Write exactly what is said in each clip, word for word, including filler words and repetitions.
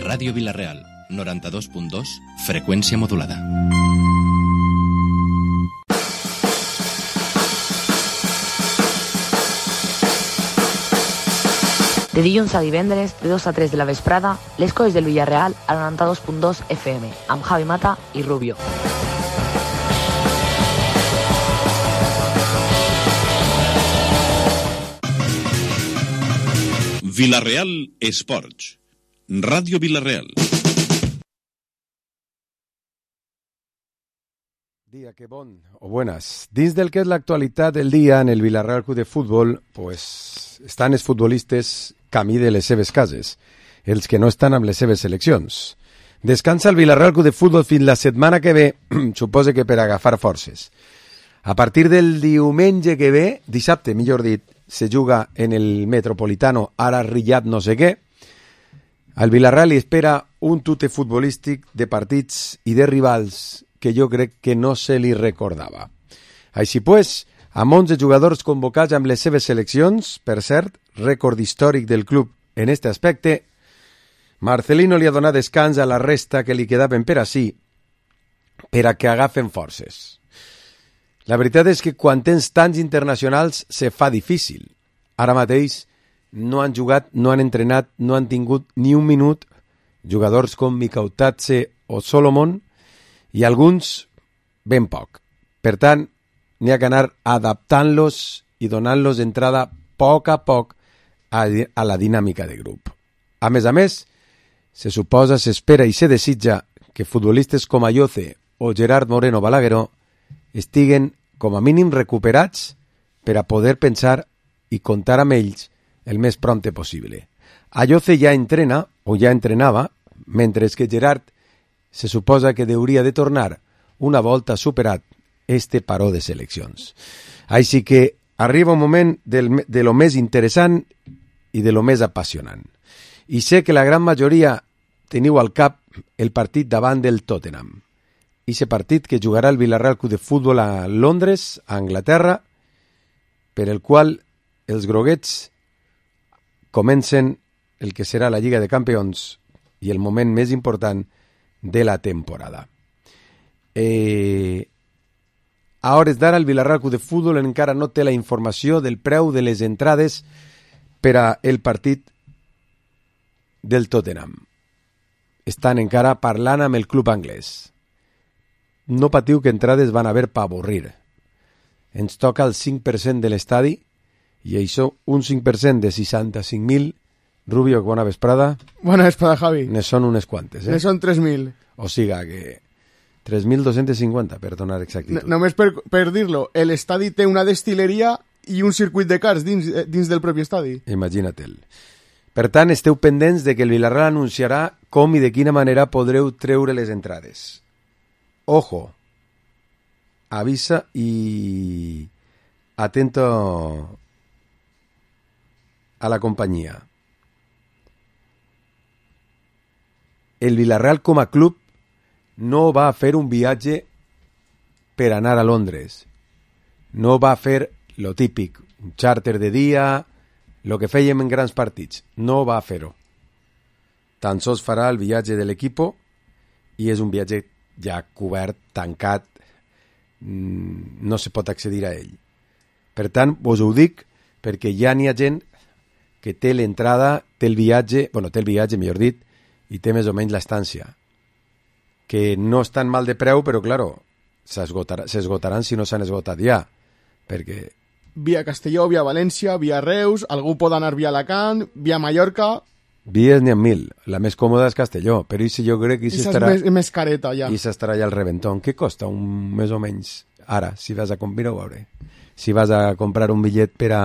Ràdio Vila-real, noranta-dos punt dos, freqüència modulada. De dilluns a divendres, de dos a tres de la vesprada, les coses del Villarreal a noranta-dos punt dos F M, amb Javi Mata i Rubio. Vila-real Esports. Ràdio Vila-real. Dia, que bon o buenas. Dins del que és l'actualitat del dia en el Vila-real Club de Futbol, pues, estan els futbolistes camí de les seves cases, els que no estan amb les seves seleccions. Descansa el Vila-real Club de Futbol fins la setmana que ve, suposa que per agafar forces. A partir del diumenge que ve, dissabte, millor dit, se juga en el Metropolitano, ara Riyad no sé què. Al Vila-real li espera un tute futbolístic de partits i de rivals que jo crec que no se li recordava. Així pues, amb onze jugadors convocats amb les seves seleccions, per cert, rècord històric del club en aquest aspecte, Marcelino li ha donat descans a la resta que li quedaven per ací, per a que agafen forces. La veritat és que quan tens tants internacionals se fa difícil. Ara mateix no han jugat, no han entrenat, no han tingut ni un minut jugadors com Mikautatse o Solomon i alguns ben poc. Per tant, n'hi ha que anar adaptant-los i donant-los entrada a poc a poc a, a la dinàmica de grup. A més a més, se suposa, s'espera i se desitja que futbolistes com Ayoce o Gerard Moreno Balagueró estiguen com a mínim recuperats per a poder pensar i comptar amb ells el més prompte possible. Ayoce ja entrena, o ja entrenava, mentre que Gerard se suposa que hauria de tornar una volta superat este paró de seleccions. Així que arriba un moment del, de lo més interessant i de lo més apassionant. I sé que la gran majoria teniu al cap el partit davant del Tottenham. Ixe partit que jugarà el Vila-real Club de Futbol a Londres, a Anglaterra, per el qual els groguets comencen el que serà la Lliga de Campions i el moment més important de la temporada. Eh, a hores d'ara el Vila-real Club de Futbol encara no té la informació del preu de les entrades per a el partit del Tottenham. Estan encara parlant amb el club anglès. No patiu que entrades van haver per avorrir. Ens toca el cinc per cent de l'estadi i això, un cinc per cent de seixanta-cinc mil. Rubio, bona vesprada. Bona vesprada, Javi. Ne són unes quantes, eh? Ne són tres mil. O siga que tres mil dos-cents cinquanta, per donar exactitud. No, només per, per dir-lo, l'estadi té una destileria i un circuit de cars dins, dins del propi estadi. Imagina-te'l. Per tant, esteu pendents de que el Vila-real anunciarà com i de quina manera podreu treure les entrades. Ojo, avisa y atento a la compañía. El Vila-real com a club no va a fer un viatge per anar a Londres. No va a fer lo típic, un charter de dia, lo que fèiem en grans partits. No va a fer-ho. Tan sols farà el viatge de l'equipo i és un viatge ja cobert, tancat, no se pot accedir a ell. Per tant, vos ho dic perquè ja n'hi ha gent que té l'entrada, té el viatge, bueno, té el viatge, millor dit, i té més o menys l'estància. Que no estan mal de preu, però, claro, s'esgotaran si no s'han esgotat ja. Perquè... Via Castelló, via València, via Reus, algú pot anar via Alacant, via Mallorca... Vies n'hi ha mil. La més còmoda és Castelló, però i si jo crec que... I estarà... és més, més careta, ja. I s'estarà ja al reventón. Què costa un més o menys ara, si vas a comprar, ho veure. Si vas a comprar un bitllet per a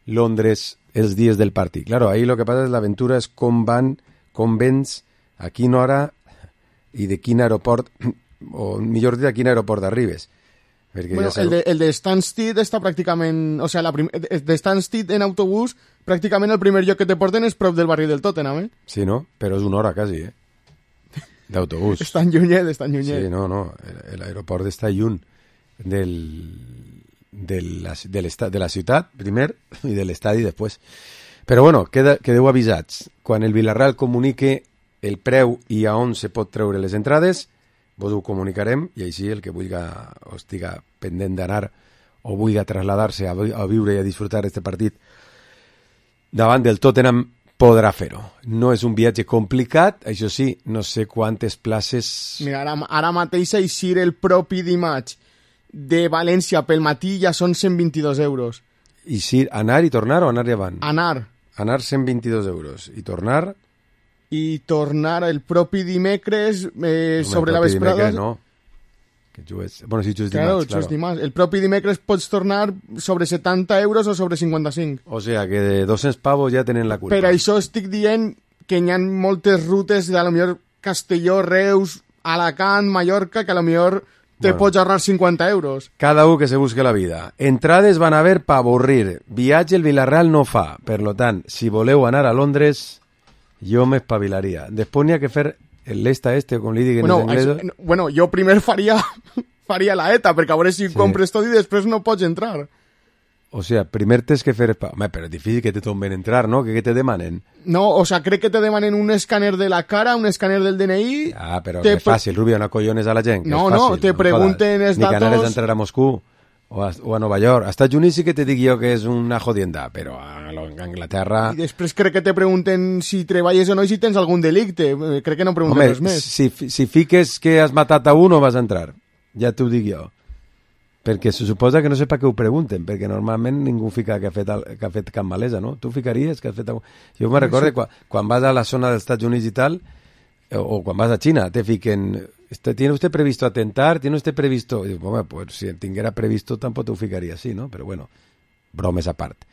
Londres els dies del partit. Claro, ahí lo que passa és l'aventura és com van, com vens, a quina hora i de quin aeroport, o millor dit, a quin aeroport arribes. Bueno, ja el, de, el de Stansted està pràcticament... O sigui, la prim, de Stansted en autobús, pràcticament el primer lloc que te porten és prop del barri del Tottenham, eh? Sí, no? Però és una hora, quasi, eh? D'autobús. És tan llunyet, és tan llunyet. Sí, no, no. L'aeroport està lluny del, de, la, de, de la ciutat, primer, i de l'estadi després. Però, bueno, queda, quedeu avisats. Quan el Vila-real comunique el preu i a on se pot treure les entrades, vos ho comunicarem i així el que vulgui o estiga pendent d'anar o vulgui traslladar-se a, a viure i a disfrutar d'aquest partit davant del Tottenham podrà fer-ho. No és un viatge complicat, això sí, no sé quantes places... Mira, ara, ara mateix eixir el propi dimarts de València pel matí ja són cent vint-i-dos euros. I si anar i tornar o anar i avant? Anar. Anar cent vint-i-dos euros. I tornar? I tornar el propi dimecres eh, no, sobre la vesprada... No, que jugues... Bueno, si jugues claro, dimarts, claro. Dimarts. El propi dimecres pots tornar sobre setanta euros o sobre cinquanta-cinc. O sea, que de dos-cents pavos ja tenen la culpa. Per això estic dient que hi ha moltes rutes de a lo millor Castelló, Reus, Alacant, Mallorca, que a lo millor te bueno, pots ahorrar cinquanta euros. Cada un que se busque la vida. Entrades van a haver pa avorrir. Viatge el Villarreal no fa. Per lo tant, si voleu anar a Londres, jo m'espavilaria. Després n'hi ha que fer el l'esta este, com li diguin bueno, els anglesos. Això, bueno, jo primer faria, faria la ETA, perquè a veure si sí. compres tot i després no pots entrar. O sea, primer tens que fer... Home, però és difícil que te tomben entrar, ¿no? Que, que te demanen. No, o sea, crec que te demanen un escàner de la cara, un escàner del D N I... Ah, però que és fàcil, Rubio, no collones a la gent. No, fàcil, no, te no pregunten els datos... Ni datos... que anares d'entrar a Moscú o a, o a Nova York. A Estats Units sí que te dic jo que és una jodienda, però a Anglaterra... I després crec que te pregunten si treballes o no i si tens algun delicte. Crec que no pregunten Home, res més. Si, si fiques que has matat a un o vas a entrar. Ja t'ho dic jo. Perquè se suposa que no sé per què ho pregunten, perquè normalment ningú fica que ha fet, que ha fet cap malesa, no? Tu ficaries que has fet... Jo me recordo quan, quan vas a la zona dels Estats Units i tal, o, o quan vas a Xina, te fiquen... ¿Tiene usted previsto atentar? ¿Tiene usted previsto...? I dic, home, pues si tinguera previsto tampoc t'ho ficaria així, no? Però bueno, bromes a part.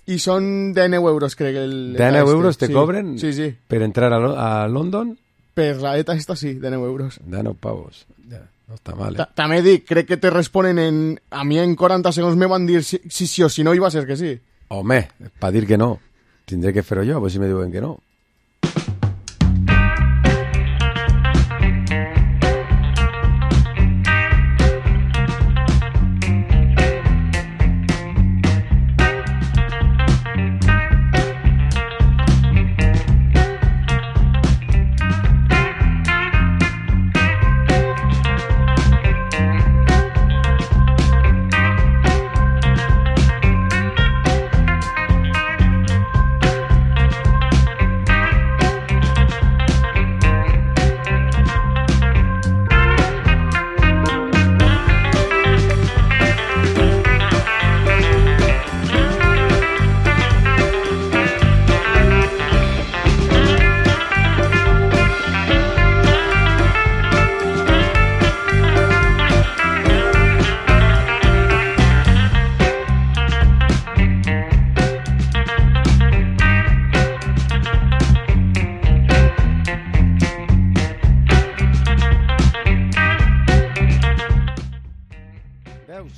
I són dinou euros, crec. El, dinou este. euros te sí. cobren sí, sí. per entrar a, a London? Per la ETA esta sí, dinou euros. dinou pavos, ja. No està mal, eh? També dic, crec que te responen en... A mi en quaranta segons me van dir si, si sí o si no, i va ser que sí. Home, per dir que no. Tindré que fer-ho jo, pues si me diuen que no.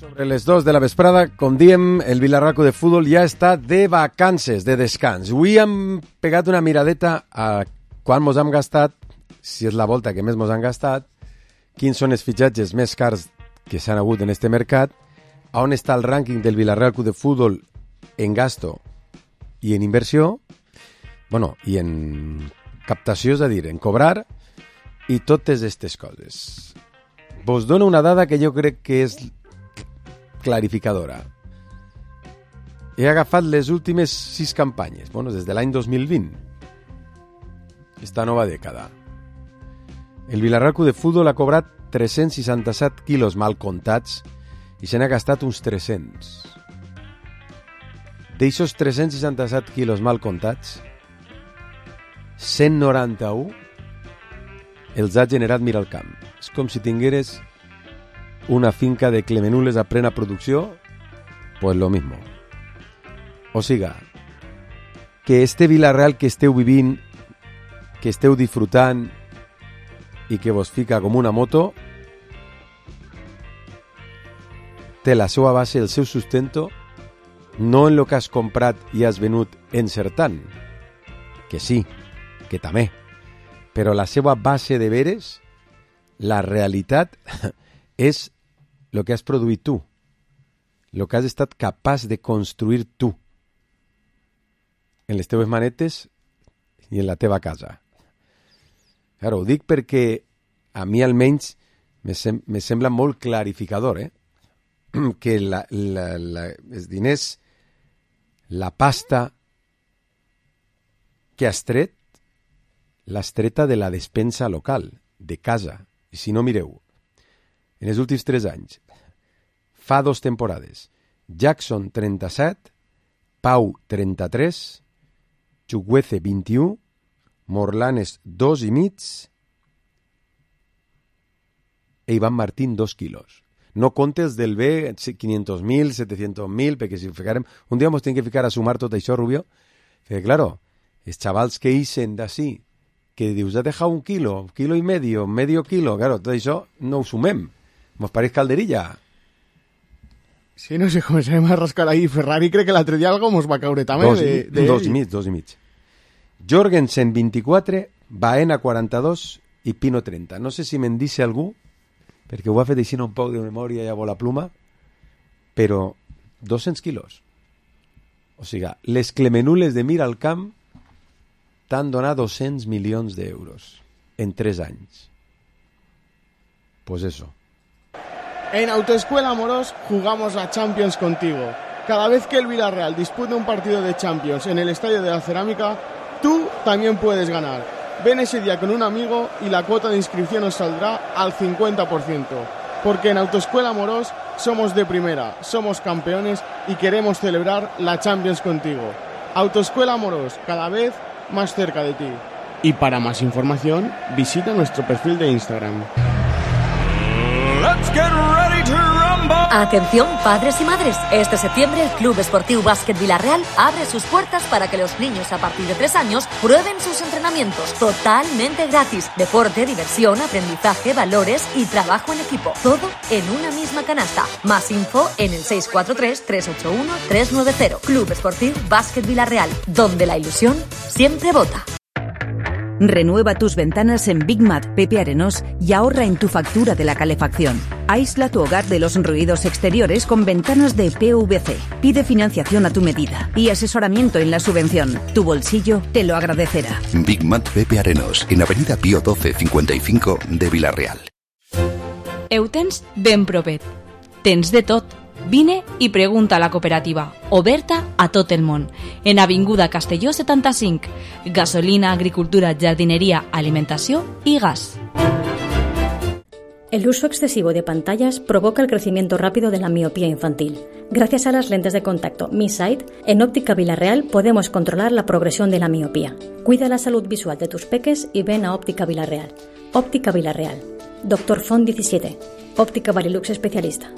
Sobre les dos de la vesprada, com diem, el Villarreal de Futbol ja està de vacances, de descans. Avui hem pegat una miradeta a quan mos hem gastat, si és la volta que més mos han gastat, quins són els fitxatges més cars que s'han hagut en este mercat, a on està el rànquing del Villarreal de Futbol en gasto i en inversió, bueno, i en captació, és a dir, en cobrar, i totes aquestes coses. Vos dono una dada que jo crec que és clarificadora. He agafat les últimes sis campanyes, bueno, des de l'any dos mil vint, esta nova dècada. El Villarreal de Futbol ha cobrat tres-cents seixanta-set quilos mal comptats i se n'ha gastat uns tres-cents. D'eixos tres-cents seixanta-set quilos mal comptats, cent noranta-un els ha generat Miralcamp. És com si tingueres una finca de clemenules a plena producció, pues lo mismo. O siga, que este Villarreal que esteu vivint, que esteu disfrutant i que vos fica com una moto, té la seva base, el seu sustento, no en lo que has comprat i has venut encertant, que sí, que també, però la seva base de veres, la realitat, és el que has produït tu, el que has estat capaç de construir tu, en les teves manetes i en la teva casa. Claro, ho dic perquè a mi almenys me, sem me sembla molt clarificador, eh? que la, la, la, els diners, la pasta que has tret, l'has treta de la despensa local, de casa. I si no, mireu, en els últims tres anys, fa dos temporades, Jackson trenta-set, Pau trenta-tres, Chukwueze vint-i-u, Morlanes dos i mig e Iván Martín dos quilos. No comptes del B, quinientos mil, setecientos mil, perquè si ho ficarem... Un dia ens hem que ficar a sumar tot això, Rubio, perquè, claro, els xavals que ixen d'ací, que dius, ha dejado un quilo, un quilo i medio, medio quilo, claro, tot això no ho sumem. Mos pareix calderilla. Sí, no sé, començarem a rascar ahí. Ferrari crec que l'altre dia algo mos va caure també. Dos, de, de dos i mig, dos i mig. Jorgensen vint-i-quatre, Baena quaranta-dos i Pino trenta. No sé si me'n dice algú, perquè ho ha fet així un poc de memòria i a vola pluma, però dos-cents quilos. O sigui, les Clemenules de Miralcamp t'han donat dos-cents milions d'euros en tres anys. Pues eso. En Autoescuela Amorós jugamos a Champions contigo. Cada vez que el Villarreal dispute un partido de Champions en el Estadio de la Cerámica, tú también puedes ganar. Ven ese día con un amigo y la cuota de inscripción os saldrá al cincuenta por ciento. Porque en Autoescuela Amorós somos de primera, somos campeones y queremos celebrar la Champions contigo. Autoescuela Amorós, cada vez más cerca de ti. Y para más información, visita nuestro perfil de Instagram. Let's get ready to rumble. Atención, padres y madres. Este septiembre el Club Esportiu Básquet Villarreal abre sus puertas para que los niños a partir de tres años prueben sus entrenamientos totalmente gratis. Deporte, diversión, aprendizaje, valores y trabajo en equipo. Todo en una misma canasta. Más info en el seis cuatro tres, tres ocho uno, tres nueve cero. Club Esportiu Básquet Villarreal, donde la ilusión siempre vota. Renueva tus ventanas en Big Mat Pepe Arenós y ahorra en tu factura de la calefacción. Aísla tu hogar de los ruidos exteriores con ventanas de P V C. Pide financiación a tu medida y asesoramiento en la subvención. Tu bolsillo te lo agradecerá. Big Mat Pepe Arenós, en Avenida Pío doce cincuenta y cinco de Villarreal. Heu tens ben propet. Tens de tot. Vine i pregunta a la cooperativa, oberta a tot el món, en Avinguda Castelló setanta-cinc. Gasolina, agricultura, jardinería, alimentació y gas. El uso excesivo de pantallas provoca el crecimiento rápido de la miopía infantil. Gracias a las lentes de contacto Mi Sight, en Óptica Villarreal podemos controlar la progresión de la miopía. Cuida la salud visual de tus peques y ven a Óptica Villarreal. Óptica Villarreal. Doctor Font diecisiete. Óptica Varilux especialista.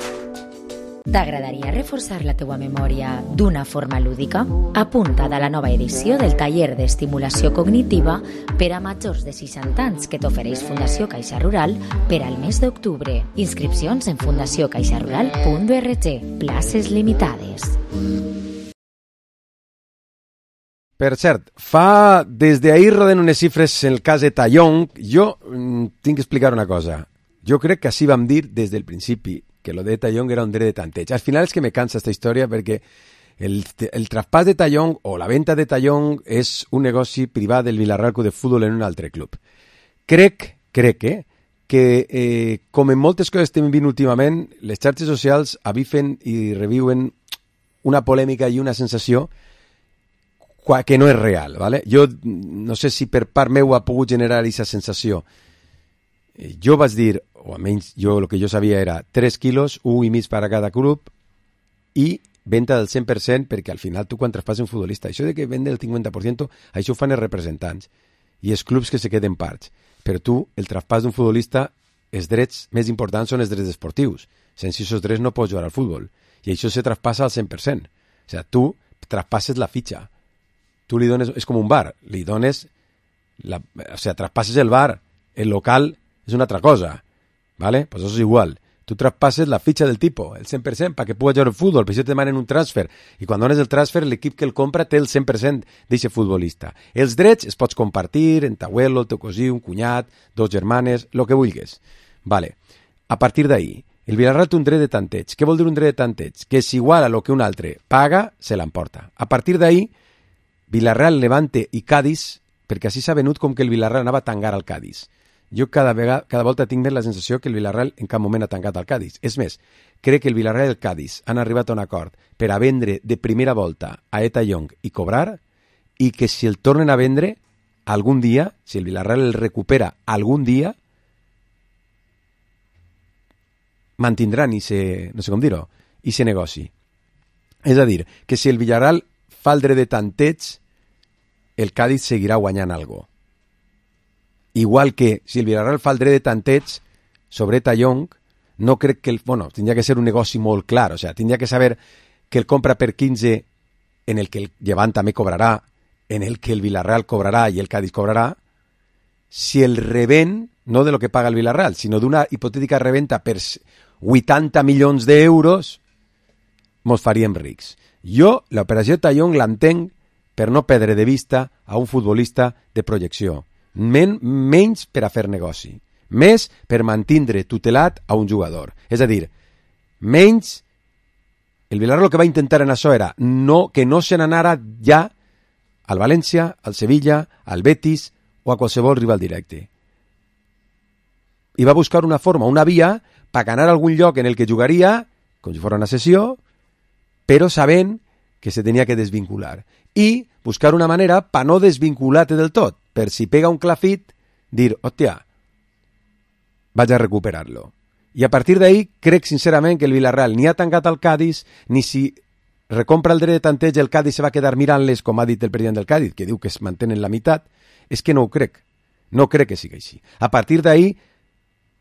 T'agradaria reforçar la teua memòria d'una forma lúdica? Apunta't a la nova edició del taller d'estimulació cognitiva per a majors de seixanta anys que t'ofereix Fundació Caixa Rural per al mes d'octubre. Inscripcions en fundació caixa rural punt org. Places limitades. Per cert, fa des d'ahir roden unes xifres en el cas de Tallong. Jo mm, tinc que explicar una cosa. Jo crec que així vam dir des del principi, que lo de Tallong era un dret de tanteig. Al final és que me cansa esta història perquè el, el traspàs de Tallong o la venda de Tallong és un negoci privat del Villarreal Club de Futbol en un altre club. Crec, crec, eh, que eh, com en moltes coses estem vivint últimament, les xarxes socials avifen i reviuen una polèmica i una sensació que no és real, ¿vale? Jo no sé si per part meu ha pogut generar aquesta sensació. Jo vaig dir, o almenys jo el que jo sabia era tres quilos, un i mig per a cada club i venda del cent per cent, perquè al final tu quan traspasses un futbolista, això de que vende el cinquanta per cent, això ho fan els representants i els clubs que se queden parts. Però tu, el traspàs d'un futbolista, els drets més importants són els drets esportius. Sense aquests drets no pots jugar al futbol. I això se traspassa al cent per cent. O sigui, tu traspasses la fitxa. Tu li dones, és com un bar, li dones, la, o sigui, traspasses el bar, el local és una altra cosa, ¿vale? Pues eso es igual. Tu traspasses la fitxa del tipo, el cent per cent, perquè puguis jugar al futbol, per això te demanen un transfer. I quan dones el transfer, l'equip que el compra té el cent per cent d'aquest futbolista. Els drets es pots compartir en t'abuelo, el teu cosí, un cunyat, dos germanes, el que vulguis. Vale. A partir d'ahí, el Villarreal té un dret de tanteig. Què vol dir un dret de tanteig? Que és igual a lo que un altre paga, se l'emporta. A partir d'ahí, Villarreal, Levante i Cádiz perquè així s'ha venut com que el Villarreal anava a tangar al Cádiz. Jo cada, vegada, cada volta tinc més la sensació que el Villarreal en cap moment ha tancat al Cádiz. És més, crec que el Villarreal i el Cádiz han arribat a un acord per a vendre de primera volta a Eta Young i cobrar, i que si el tornen a vendre algun dia, si el Villarreal el recupera algun dia, mantindran i se, no sé com dir-ho, i se negoci. És a dir, que si el Villarreal fa el dret de tanteig, el Cádiz seguirà guanyant algo. Igual que si el Villarreal fa el dret de tanteig sobre Eta Young, no crec que el... Bueno, tindria que ser un negoci molt clar, o sea, tindria que saber que el compra per quinze, en el que el Llevant també cobrarà, en el que el Villarreal cobrarà i el Cádiz cobrarà, si el revent, no de lo que paga el Villarreal, sinó d'una hipotètica reventa per vuitanta milions d'euros, mos faríem rics. Jo, l'operació Eta Young l'entenc per no perdre de vista a un futbolista de projecció. Men, menys per a fer negoci. Més per mantindre tutelat a un jugador. És a dir, menys... El Villarreal el que va intentar en això era no, que no se n'anara ja al València, al Sevilla, al Betis o a qualsevol rival directe. I va buscar una forma, una via, per ganar algun lloc en el que jugaria, com si fos una sessió, però sabent que se tenia que desvincular. I buscar una manera per no desvincular-te del tot, per si pega un clafit, dir, hòstia, vaig a recuperar-lo. I a partir d'ahí crec sincerament que el Villarreal ni ha tancat al Cádiz, ni si recompra el dret de tanteig el Cádiz se va quedar mirant-les, com ha dit el president del Cádiz, que diu que es mantenen la meitat. És que no ho crec. No crec que sigui així. A partir d'ahí,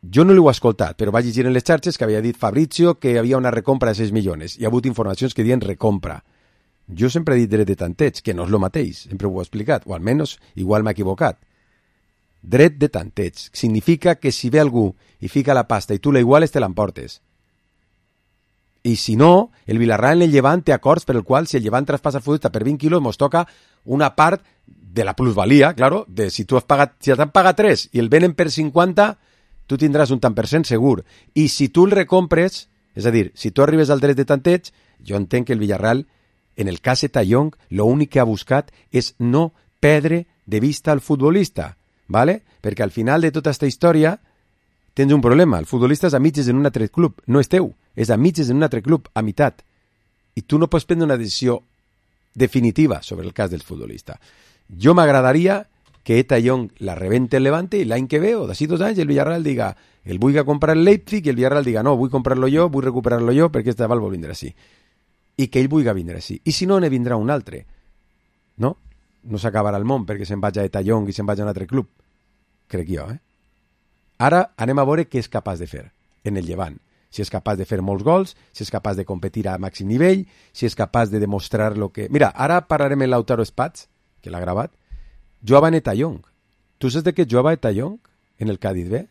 jo no l'he escoltat, però vaig llegir en les xarxes que havia dit Fabrizio que hi havia una recompra de sis milions. Hi ha hagut informacions que diuen recompra. Jo sempre he dit dret de tanteig, que no és el mateix, sempre ho he explicat, o almenys igual m'he equivocat. Dret de tanteig significa que si ve algú i fica la pasta i tu la iguales, te l'emportes. I si no, el Villarreal en el Llevant té acords per el qual si el Llevant traspassa el futbolista per vint quilos, mos toca una part de la plusvalía, claro, de si tu has pagat, si t'han pagat tres i el venen per cinquanta, tu tindràs un tant per cent segur. I si tu el recompres, és a dir, si tu arribes al dret de tanteig, jo entenc que el Villarreal, en el cas Eta Young, l'únic que ha buscat és no perdre de vista al futbolista, ¿vale? Perquè al final de tota aquesta història tens un problema. El futbolista és a mitges en un altre club, no és teu, és a mitges en un altre club, a meitat. I tu no pots prendre una decisió definitiva sobre el cas del futbolista. Jo m'agradaria que Eta Young la rebente el Levante i l'any que ve, o d'ací dos anys, el Villarreal diga el vull comprar el Leipzig i el Villarreal diga no, vull comprar-lo jo, vull recuperar-lo jo perquè este aval vol vindre així. I que ell vulgui vindre així. I si no, ne vindrà un altre. No? No s'acabarà el món perquè se'n vaig a Eta Young i se'n vaig a un altre club. Crec jo, eh? Ara anem a veure què és capaç de fer en el Llevant. Si és capaç de fer molts gols, si és capaç de competir a màxim nivell, si és capaç de demostrar lo que... Mira, ara parlarem en Lautaro Spats, que l'ha gravat. Jugava en Eta Young. Tu saps de què jugava Eta Young en el Cádiz B?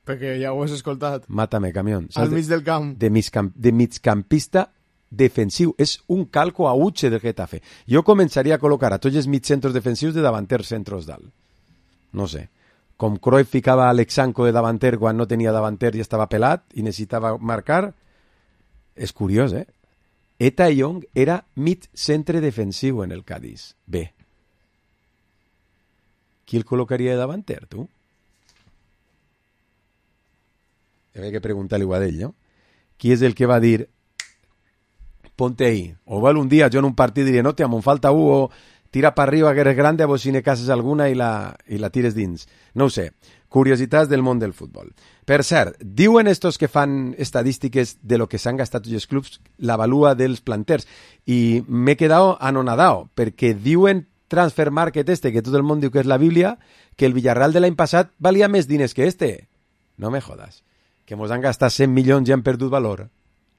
Perquè ja ho has escoltat. Mátame, camión. Al mig del camp. De, migcamp de migcampista defensiu. És un calco a Uche del Getafe. Jo començaria a col·locar a tots els mitjcentros defensius de davanters centros dalt. No sé. Com Cruyff ficava Alexanco de davanter quan no tenia davanter i estava pelat i necessitava marcar. És curiós, eh? Eta Young era mig centre defensiu en el Cádiz. Bé. Qui el col·locaria de davanter, tu? Havia que preguntar-li a ell, no? Qui és el que va dir ponte ahí? O val un dia jo en un partit diré no, tia, me'n falta un, o tira per arriba que eres grande, a vos si ne cases alguna i la, i la tires dins. No ho sé. Curiositats del món del futbol. Per cert, diuen estos que fan estadístiques de lo que s'han gastat tots els clubs la valua dels planters i m'he quedat anonadao perquè diuen Transfer Market este, que tot el món diu que és la Bíblia, que el Villarreal de l'any passat valia més diners que este. No me jodas. Que mos han gastat cent milions i han perdut valor.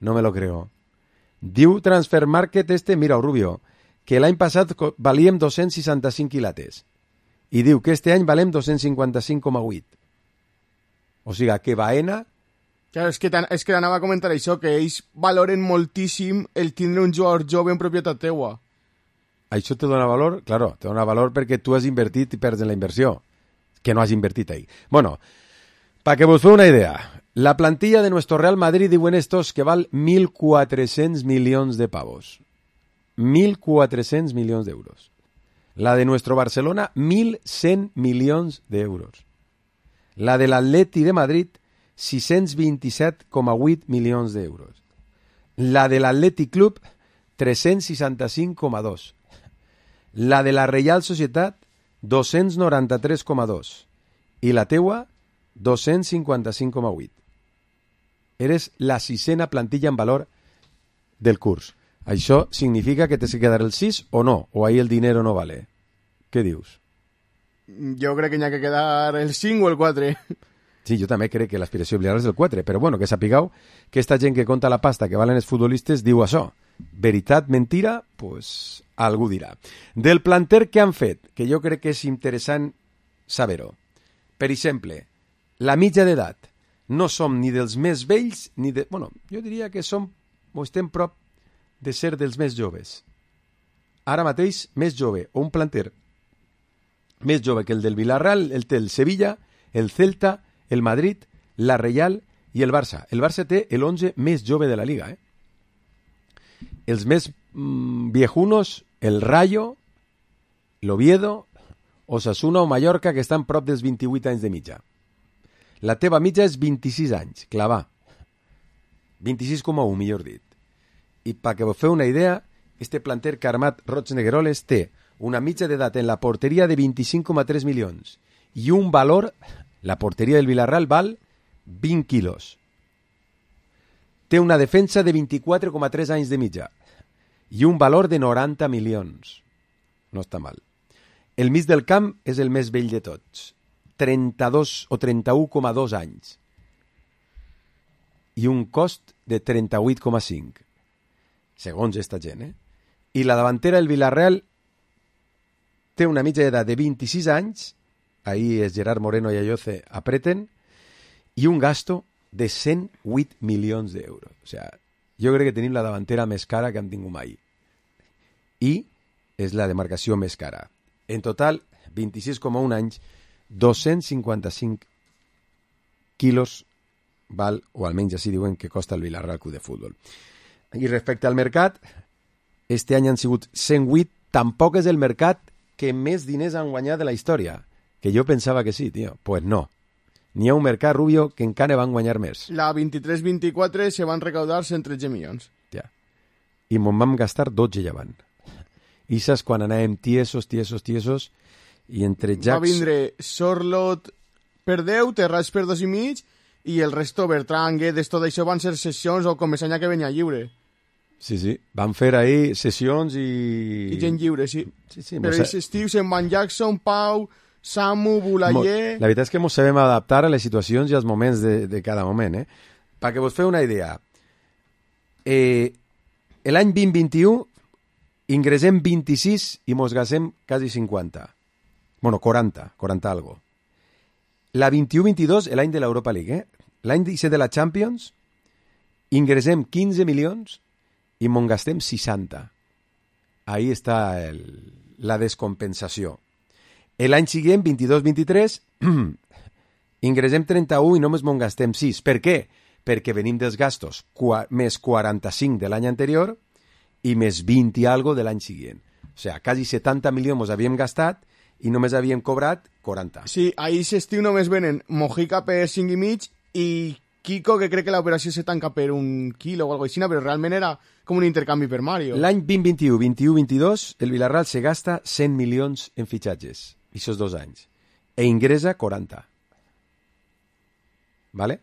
No me lo creo. Diu Transfer Market este, mira, Rubio, que l'any passat valíem dos-cents seixanta-cinc quilates. I diu que este any valem dos-cents cinquanta-cinc coma vuit. O sigui, que Baena... Claro, és que, és que anava a comentar això, que ells valoren moltíssim el tindre un jugador jove en propietat teua. Això te dona valor? Claro, te dona valor perquè tu has invertit i perds en la inversió, que no has invertit ahí. Bueno, para que vos feu una idea, la plantilla de nuestro Real Madrid diuen estos que val mil quatre-cents milions de pavos. mil quatre-cents milions d'euros. La de nuestro Barcelona, mil cent milions d'euros. La de l'Atleti de Madrid, sis-cents vint-i-set coma vuit milions d'euros. La de l'Atlètic Club, tres-cents seixanta-cinc coma dos. La de la Reial Societat, dos-cents noranta-tres coma dos. I la teua, dos-cents cinquanta-cinc coma vuit. Eres la sisena plantilla en valor del curs. Això significa que t'has de quedar el sis o no? O ahí el dinero no vale? Què dius? Jo crec que n'hi ha que quedar el cinc o el quatre. Sí, jo també crec que l'aspiració Villarreal és el quatre, però bueno, que sapigueu que esta gent que conta la pasta que valen els futbolistes diu això. Veritat, mentira, pues algú dirà. Del planter que han fet, que jo crec que és interessant saber-ho. Per exemple, la mitja d'edat. No som ni dels més vells, ni de... Bueno, jo diria que som, o estem prop de ser dels més joves. Ara mateix, més jove, o un planter més jove que el del Villarreal, el té el Sevilla, el Celta, el Madrid, la Reial i el Barça. El Barça té l'onze més jove de la Liga, eh? Els més mmm, viejunos, el Rayo, l'Oviedo, Osasuna o Mallorca, que estan prop dels vint-i-vuit anys de mitja. La teva mitja és vint-i-sis anys, clavà. vint-i-sis coma u, millor dit. I perquè vos feu una idea, este planter que ha armat Roig Negueroles té una mitja d'edat en la porteria de vint-i-cinc coma tres milions i un valor, la porteria del Villarreal val vint quilos. Té una defensa de vint-i-quatre coma tres anys de mitja i un valor de noranta milions. No està mal. El mig del camp és el més vell de tots, trenta-dos o trenta-u coma dos anys i un cost de trenta-vuit coma cinc, segons esta gent, eh? I la davantera del Villarreal té una mitja d'edat de vint-i-sis anys, ahí és Gerard Moreno i Ayoce apreten, i un gasto de cent vuit milions d'euros. O sea, jo crec que tenim la davantera més cara que hem tingut mai. I és la demarcació més cara. En total, vint-i-sis coma un anys, dos-cents cinquanta-cinc quilos val, o almenys així diuen que costa el Villarreal Club de Futbol. I respecte al mercat, este any han sigut cent vuit, tampoc és el mercat que més diners han guanyat de la història, que jo pensava que sí, tio. Pues no. N'hi ha un mercat, Rubio, que encara van guanyar més. La vint-i-tres vint-i-quatre se van recaudar cent tretze milions. Ja. I me'n vam gastar dotze llevant. I saps quan anàvem tiesos, tiesos, tiesos, i entre Jacks... Va vindre Sorlot per deu, Terrats per dos i mig, i el resto, Bertran, Guedes, tot això van ser sessions o Comesanya que venia lliure. Sí, sí, van fer ahí sessions i... I gent lliure, sí. Sí, sí. Però aquest estiu se'n van Jackson, Pau, Samu, Bulayer... La veritat és que ens sabem adaptar a les situacions i als moments de, de cada moment, eh? Perquè vos feu una idea. Eh, l'any vint vint-i-u ingressem vint-i-sis i mos gastem quasi cinquanta. Bueno, quaranta, quaranta algo. La vint-i-u vint-i-dos, l'any de l'Europa League, eh? L'any disset de la Champions, ingressem quinze milions i mos gastem seixanta. Ahí està el, la descompensació. L'any següent, vint-i-dos vint-i-tres, ingressem trenta-u i només mos gastem sis. Per què? Perquè venim dels gastos qua, més quaranta-cinc de l'any anterior i més vint i algo de l'any següent. O sigui, quasi setanta milions mos havíem gastat i només havíem cobrat quaranta. Sí, ahir s'estiu només venen Mojica per cinc i mig i Kiko, que crec que l'operació se tanca per un quilo o alguna cosa així, però realment era com un intercanvi per Mario. L'any vint vint-i-u vint-i-u vint-i-dos, el Villarreal se gasta cent milions en fitxatges, aquests dos anys, e ingressa quaranta. ¿Vale?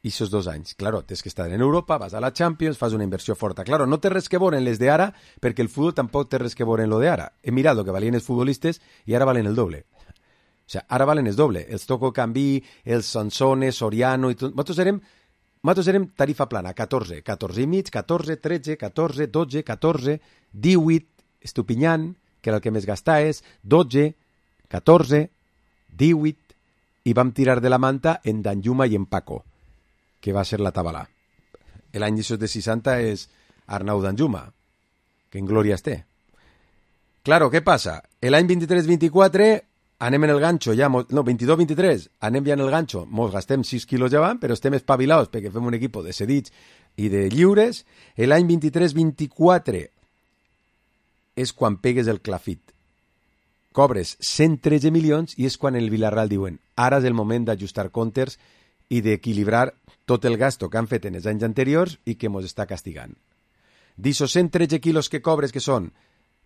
Aquests dos anys. Claro, tens que estar en Europa, vas a la Champions, fas una inversió forta. Claro, no té res que veure en les d'ara, perquè el futbol tampoc té res que veure en lo d'ara. He mirat el que valien els futbolistes i ara valen el doble. O sigui, ara valen el doble. Els Toko Cambí, els Sansone, Soriano i tot. Nosaltres érem, nosaltres érem tarifa plana, catorze, catorze i mig, catorze, tretze, catorze, dotze, catorze, divuit, Estupinyan, que era el que més gastaves, dotze, catorze, divuit, i vam tirar de la manta en Danjuma i en Paco, que va ser la Tabalà. L'any de seixanta és Arnau Danjuma, que en glòria té. Claro, què passa? L'any vint-i-tres vint-i-quatre anem en el ganxo, ja, no, vint-i-dos vint-i-tres, anem ja en el ganxo, mos gastem sis quilos llevant, però estem espavilados perquè fem un equip de cedits i de lliures. L'any vint-i-tres vint-i-quatre és quan pegues el clafit. cobres cent tretze milions i és quan el Villarreal diuen ara és el moment d'ajustar comptes i d'equilibrar tot el gasto que han fet en els anys anteriors i que mos està castigant. D'ixos cent tretze quilos que cobres, que són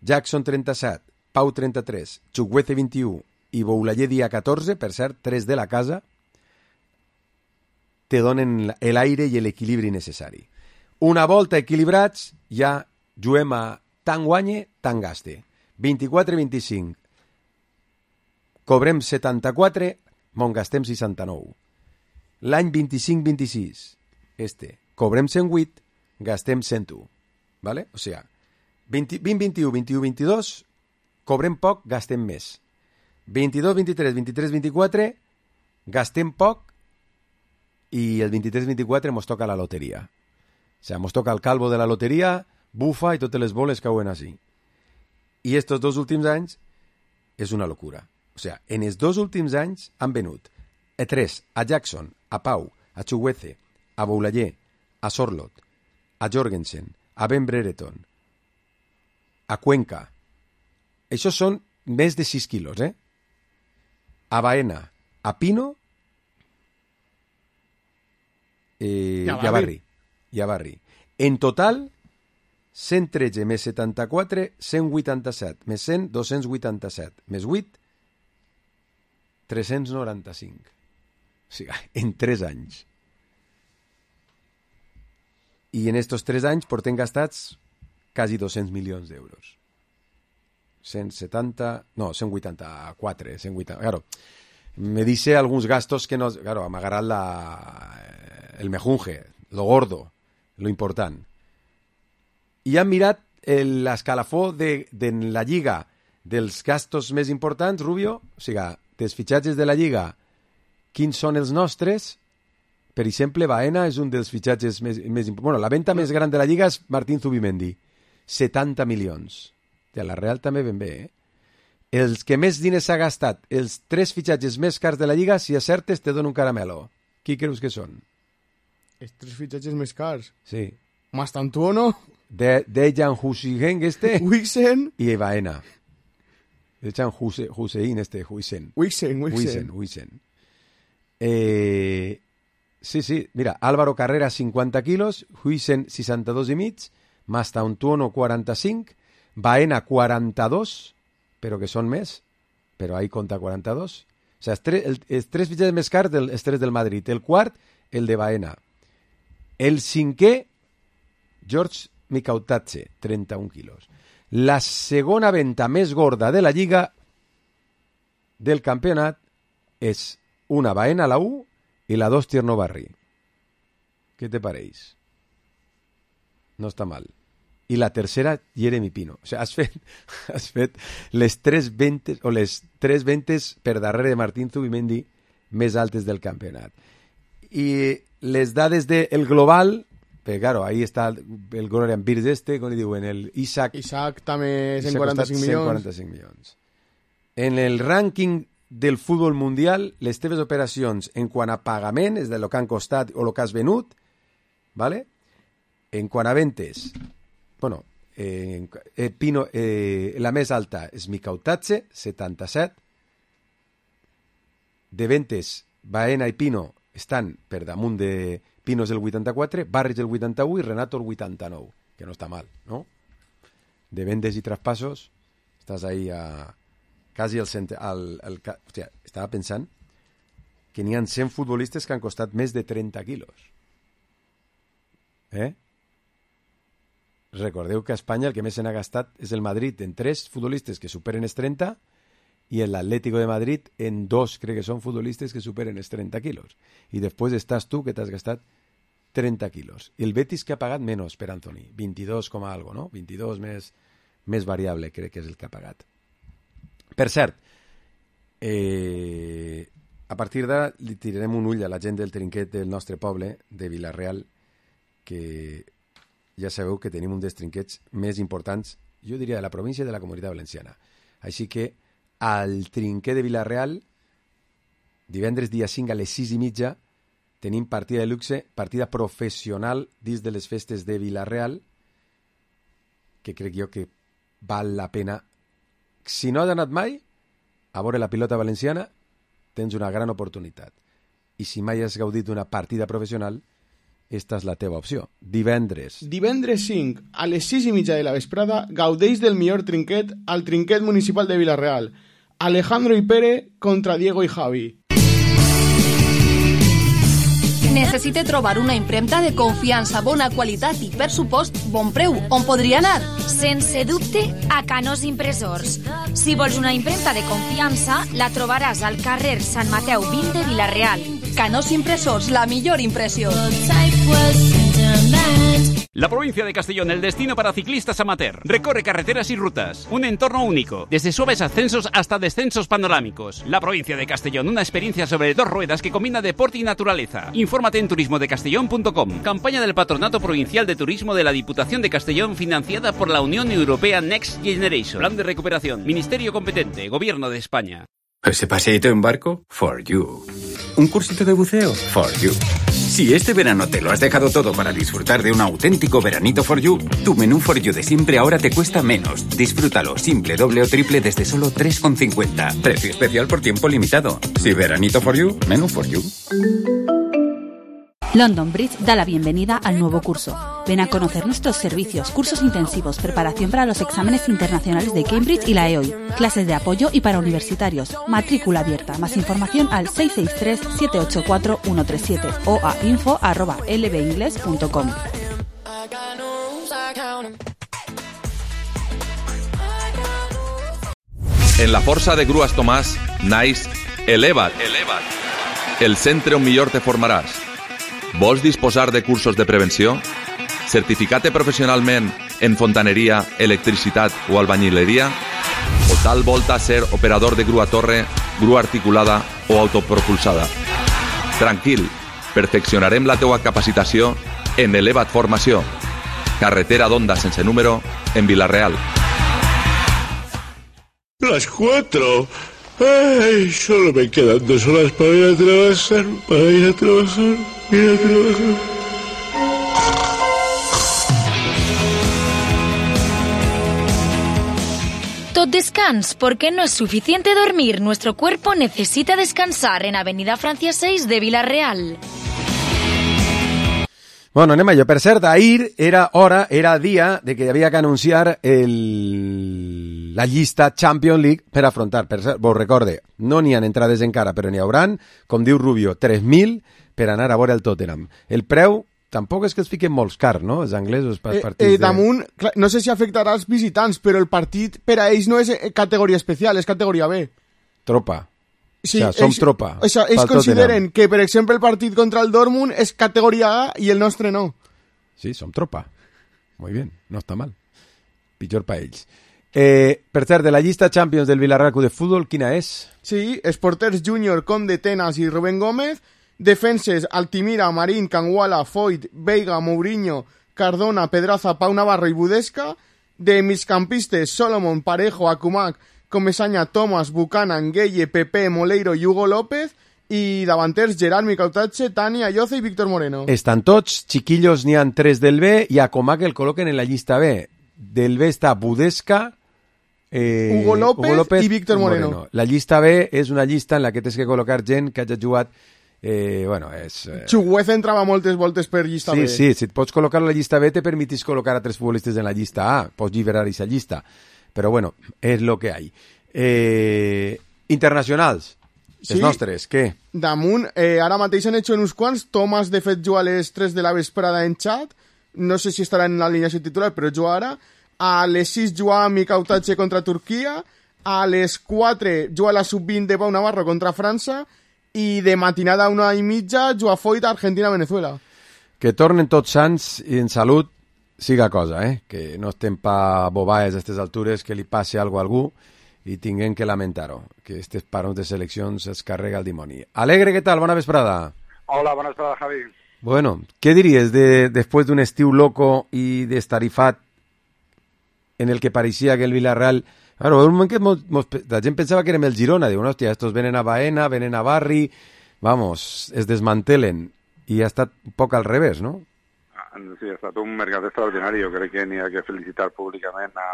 Jackson trenta-set, Pau trenta-tres, Chukwueze vint-i-u i Boulaye dia catorze, per cert, tres de la casa, te donen l'aire i l'equilibri necessari. Una volta equilibrats, ja juguem a tant guanye, tant gaste. vint-i-quatre vint-i-cinc. Cobrem setanta-quatre, mon gastem seixanta-nou. L'any vint-i-cinc vint-i-sis, este, cobrem cent vuit, gastem cent u. ¿Vale? O sigui, vint vint-i-u vint-i-u vint-i-dos, cobrem poc, gastem més. vint-i-dos vint-i-tres vint-i-tres vint-i-quatre, gastem poc i el vint-i-tres vint-i-quatre mos toca la loteria. O sigui, mos toca el calvo de la loteria, bufa i totes les boles cauen així. I estos dos últims anys és una locura. O sigui, en els dos últims anys han venut a tres, a Jackson, a Pau, a Chukwueze, a Boulaye, a Sorloth, a Jorgensen, a Ben Brereton, a Cuenca. Això són més de sis quilos, eh? A Baena, a Pino eh, i a Barri. I a Barri. En total, cent tretze més setanta-quatre, cent vuitanta-set, més cent, dos-cents vuitanta-set, més vuit, tres-cents noranta-cinc. O sigui, en tres anys. I en estos tres anys portem gastats quasi dos-cents milions d'euros. cent setanta, no, cent vuitanta-quatre, cent vuitanta, claro. Me dice algunos gastos que nos, claro, amagarán la, el mejunje, lo gordo, lo important. I han mirat l'escalafó de, de la Lliga dels gastos més importants, Rubio, o sigui, dels fitxatges de la Lliga, quins són els nostres? Per exemple, Baena és un dels fitxatges més, més importants. Bueno, la venda més gran de la Lliga és Martín Zubimendi, setanta milions. De la Real també ben bé, eh? Els que més diners s'ha gastat, els tres fitxatges més cars de la Lliga, si acertes te dono un caramelo. Qui creus que són? Els tres fitxatges més cars? Sí. Mastantuono. De, Dejan Hussein este. Wixen. Y Baena. Dejan Hussein este, Wixen. Wixen, Wixen. Wixen. Eh, sí, sí, mira, Álvaro Carrera cinquanta quilos, Wixen seixanta-dos i mig, Mastantuono quaranta-cinc, Baena quaranta-dos, però que són més, però ahí compta quaranta-dos. O sigui, els tres, el, els tres fitxatges més cars, del, els tres del Madrid. El quart, el de Baena. El cinquè, George Mikautatze, trenta-un quilos. La segona venda més gorda de la Lliga del campionat és una Baena a la u i la dos Tierno Barri. Què te pareix? No està mal. I la tercera, Jeremy Pino. O sigui, has fet, has fet les tres ventes, o les tres ventes per darrere de Martín Zubimendi més altes del campionat. I les dades del global, perquè, claro, ahí està el Glorian Birds este, com li diuen, el Isaac. Isaac també cent quaranta-cinc milions. cent quaranta-cinc milions. En el rànquing del futbol mundial, les teves operacions en quant a pagament, és de lo que han costat o lo que has venut, ¿vale? En quant a ventes, bueno, eh, eh, Pino, eh, la més alta és Mikautatze, setanta-set. De ventes, Baena i Pino estan per damunt de Pinos el vuitanta-quatre, Barris el vuitanta-u i Renato el vuitanta-nou, que no està mal, no? De vendes i traspassos, estàs ahí a quasi al centre... Al, al, hòstia, estava pensant que n'hi ha cent futbolistes que han costat més de trenta quilos. Eh? Recordeu que a Espanya el que més se n'ha gastat és el Madrid en tres futbolistes que superen els trenta i el Atlético de Madrid en dos, crec que són futbolistes que superen els trenta quilos. I després estàs tu que t'has gastat trenta quilos. I el Betis que ha pagat menys per Anthony, vint-i-dos com a algo, no? vint-i-dos més, més variable crec que és el que ha pagat. Per cert, eh, a partir d'ara li tirarem un ull a la gent del trinquet del nostre poble, de Vilareal, que ja sabeu que tenim un dels trinquets més importants, jo diria, de la província i de la Comunitat Valenciana. Així que al trinquet de Vilareal, divendres dia cinc a les sis i mitja, tenim partida de luxe, partida professional dins de les festes de Vilareal, que crec jo que val la pena. Si no has anat mai, a veure la pilota valenciana, tens una gran oportunitat. I si mai has gaudit d'una partida professional, esta és la teva opció. Divendres. Divendres cinc, a les sis i mitja de la vesprada, gaudeix del millor trinquet al trinquet municipal de Vila-real. Alejandro i Pere contra Diego i Javi. Necessite trobar una impremta de confiança, bona qualitat i, per supost, bon preu. On podria anar? Sense dubte, a Canós Impressors. Si vols una impremta de confiança, la trobaràs al carrer Sant Mateu vint de Vila-real. Canós Impressors, la millor impressió. La provincia de Castellón, el destino para ciclistas amateur. Recorre carreteras y rutas. Un entorno único. Desde suaves ascensos hasta descensos panorámicos. La provincia de Castellón, una experiencia sobre dos ruedas que combina deporte y naturaleza. Infórmate en turismo de castellón punto com. Campaña del Patronato Provincial de Turismo de la Diputación de Castellón, financiada por la Unión Europea Next Generation. Plan de recuperación. Ministerio competente. Gobierno de España. ¿Ese paseíto en barco? For you. ¿Un cursito de buceo? For you. Si este verano te lo has dejado todo para disfrutar de un auténtico veranito For You, tu menú For You de siempre ahora te cuesta menos. Disfrútalo simple, doble o triple desde solo tres con cincuenta. Precio especial por tiempo limitado. Si veranito For You, menú For You. London Bridge da la bienvenida al nuevo curso. Ven a conocer nuestros servicios, cursos intensivos, preparación para los exámenes internacionales de Cambridge y la E O I, clases de apoyo y para universitarios, matrícula abierta. Más información al seis seis tres, siete ocho cuatro, uno tres siete o a info arroba l b ingles punto com. En la Força de Grues Tomàs, naix Eleva't, Eleva't, el centre on millor te formaràs. Vols disposar de cursos de prevenció? Certificat-te professionalment en fontaneria, electricitat o albañileria? O tal volta ser operador de grua torre, grua articulada o autopropulsada? Tranquil, perfeccionarem la teua capacitació en Eleva't Formació. Carretera d'Onda sense número en Vila-real. Las cuatro. Ay, solo me quedan dos horas para ir a trabajar, para ir a trabajar, ir a trabajar. Tot descans, porque no es suficiente dormir. Nuestro cuerpo necesita descansar en Avenida Francia seis de Vila-real. Bueno, anem allò. Per cert, ahir era hora, era dia de que hi havia que anunciar el... la llista Champions League per afrontar. Per cert, vos recorde, no n'hi ha entrades encara, però n'hi hauran, com diu Rubio, tres mil per anar a veure el Tottenham. El preu tampoc és que els fiquen molts cars, no? Els anglesos per eh, partits eh, damunt, de... clar, no sé si afectarà als visitants, però el partit per a ells no és categoria especial, és categoria B. Tropa. Sí, o sea, som ells, tropa. O sea, ells consideren Tottenham. Que, per exemple, el partit contra el Dortmund és categoria A i el nostre no. Sí, som tropa. Muy bien, no està mal. Pitjor pa ells. Eh, per cert, de la llista Champions del Villarreal Club de Futbol, quina és? Sí, els porters Júnior, Conde, Tenas i Rubén Gómez, defenses Altimira, Marín, Canguala, Foyt, Veiga, Mourinho, Cardona, Pedraza, Pau Navarro i Budesca, de migcampistes Solomon, Parejo, Akumak, Comesaña, Thomas, Buchanan, Gueye, Pepe, Moleiro i Hugo López, i davanters Gerard, Micautache, Tani, Ayoce i Víctor Moreno. Estan tots, chiquillos, n'hi ha tres del B i a Comac el col·loquen en la llista B. Del B està Budesca, eh, Hugo, López Hugo López i Víctor Moreno. Moreno. La llista B és una llista en la que tens que col·locar gent que hagi jugat eh, bueno, és... Eh... Chuguez entrava moltes voltes per llista sí, B. Sí, si et pots col·locar a la llista B te permitís col·locar a tres futbolistes en la llista A, pots lliberar aquesta llista. Però bueno, és lo que hay. Eh, internacionals. Sí. Els nostres, què? Damunt, eh, ara mateix han hecho en uns quants. Thomas, de fet, juga a les tres de la vesprada en xat. No sé si estarà en l'alineació titular, però juga ara. A les sis juga Micautache contra Turquia. A les quatre juga la sub vint de Pau Navarro contra França. I de matinada a una i mitja juga Foyt a Argentina-Venezuela. Que tornen tots sants i en salut siga cosa, eh? Que no estem pa bobaes a aquestes altures, que li passi algo a algú i tinguem que lamentar-ho, que aquests parons de seleccions es carrega el dimoni. Alegre, què tal? Bona vesprada. Hola, bona vesprada, Javi. Bueno, ¿qué dirías de, después de un estiu loco y de estarifat en el que parecía que el Villarreal... Claro, un moment que mos, mos, la gent pensava que érem el Girona, diu, no, hòstia, estos venen a Baena, venen a Barri, vamos, es desmantelen, i ha estat un poc al revés, no? Sí, ha estat un mercat extraordinari, jo crec que n'hi ha que felicitar públicament a,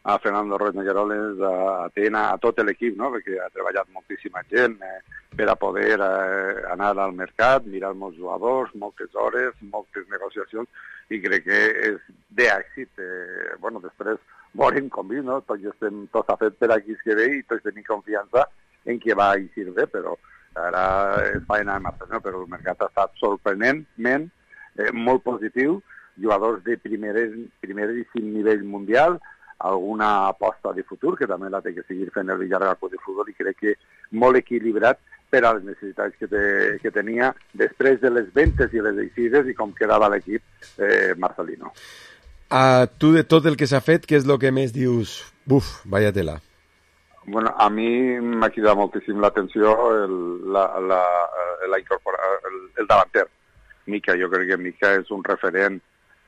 a Fernando Ruiz Negueroles, a Tena, a tot l'equip, no? Perquè ha treballat moltíssima gent eh, per a poder eh, anar al mercat, mirar molts jugadors, moltes hores, moltes negociacions, i crec que és d'èxit. Eh, bueno, després veurem com diu, no? Tots estem tots a fet per aquí que ve i tots tenim confiança en que va eixir bé, però ara és feina de martes, no? Però el mercat ha estat sorprenentment eh, molt positiu, jugadors de primeríssim nivell mundial, alguna aposta de futur, que també la té que seguir fent el Villarreal Club de Futbol, i crec que molt equilibrat per a les necessitats que, te, que tenia després de les ventes i les eixides i com quedava l'equip eh, marcelino. A tu, de tot el que s'ha fet, què és el que més dius? Buf, vaya tela. Bueno, a mi m'ha cridat moltíssim l'atenció el, la, la, la incorpora, el, el davanter. Mica, jo crec que Mica és un referent.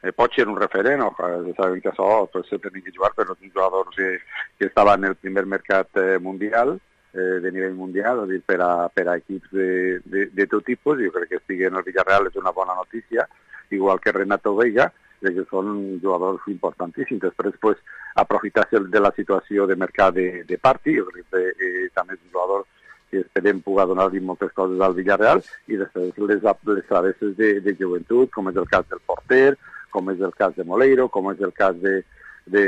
Eh, pot ser un referent, o ja sabem que això pues, se tenia que jugar, però és un jugador que, que estava en el primer mercat eh, mundial, eh, de nivell mundial, és dir, per a, per a equips de, de, de tot tipus. Jo crec que estigui en el Villarreal és una bona notícia, igual que Renato Veiga, crec que són jugadors importantíssims. Després, pues, aprofitar-se de la situació de mercat de, de Parti, jo crec que eh, també és un jugador que esperem poder donar-li moltes coses al Villarreal, i després les, les travesses de, de joventut, com és el cas del porter, com és el cas de Moleiro, com és el cas de, de,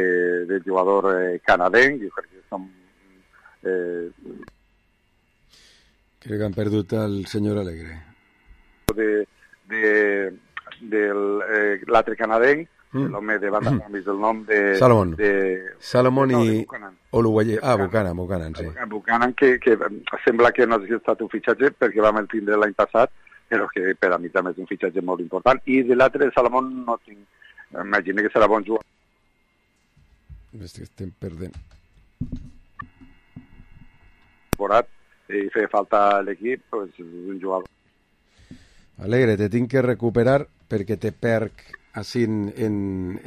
de jugador eh, canadenc, jo crec que som... Eh... Crec que han perdut el senyor Alegre. De, de, del eh, l'altre canadenc, mm. l'home de banda, mm. el nom de... Salomón. De, Salomón no, i... Oluguayer. Ah, Buchanan, Buchanan, sí. Buchanan, que, que sembla que no ha estat un fitxatge perquè vam el tindre l'any passat, però que per a mi també és un fitxatge molt important. I de l'altre, Salomón, no tinc... Imagina que serà bon jugador. Estem perdent. I feia falta l'equip, doncs és un jugador. Alegre, te tinc que recuperar perquè te perc així en, en,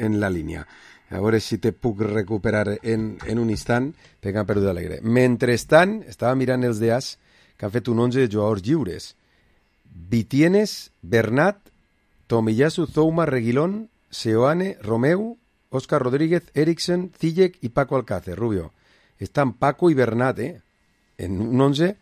en la línia. A veure si te puc recuperar en, en un instant, perquè han perdut Alegre. Mentrestant, estava mirant els D As que han fet un onze de jugadors lliures. Vitienes, Bernat, Tomiyasu, Zouma, Reguilón, Seoane, Romeu, Óscar Rodríguez, Eriksen, Ziyech y Paco Alcácer, Rubio. Están Paco y Bernat, ¿eh? En un once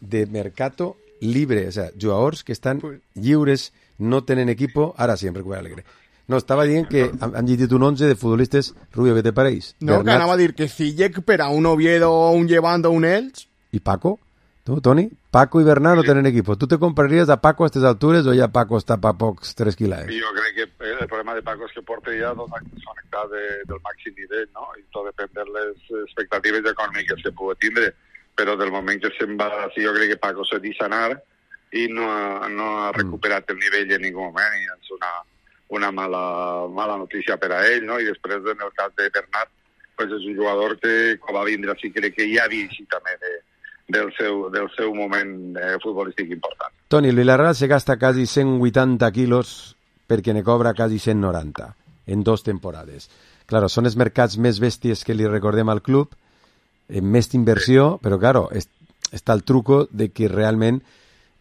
de mercado libre, o sea, jugadors que estan lliures, no tenen equipo, ara sí, em recupera Alegre. No, estava dient que han, han llegit un once de futbolistes, Rubio, què te pareix? No, Bernat, que anava a dir que Ziyech per a un Oviedo, un Llevant o un Elx. ¿Y Paco? ¿Tú, Toni? Paco i Bernat no tenen equipo. ¿Tú te compraries a Paco a aquestes altures o ja Paco està pa pocs tres quilades? Jo crec que el problema de Paco és que porta ja dos anys desconnectat de, del màxim nivell, no? I tot depèn de les expectatives econòmiques que pugui tindre. Però del moment que se'n va, sí, jo crec que Paco s'ha deixat anar i no ha, no ha recuperat el nivell en ningú moment, i és una, una mala, mala notícia per a ell, no? I després, en el cas de Bernat, pues és un jugador que, quan va vindre, sí crec que ja havia eixit també de, del, seu, del seu moment eh, futbolístic important. Toni, el Villarreal se gasta quasi cent vuitanta quilos perquè ne cobra quasi cent noranta en dos temporades. Claro, són els mercats més bèsties que li recordem al club, en més inversió, sí. Però claro, es, està el truco de que realment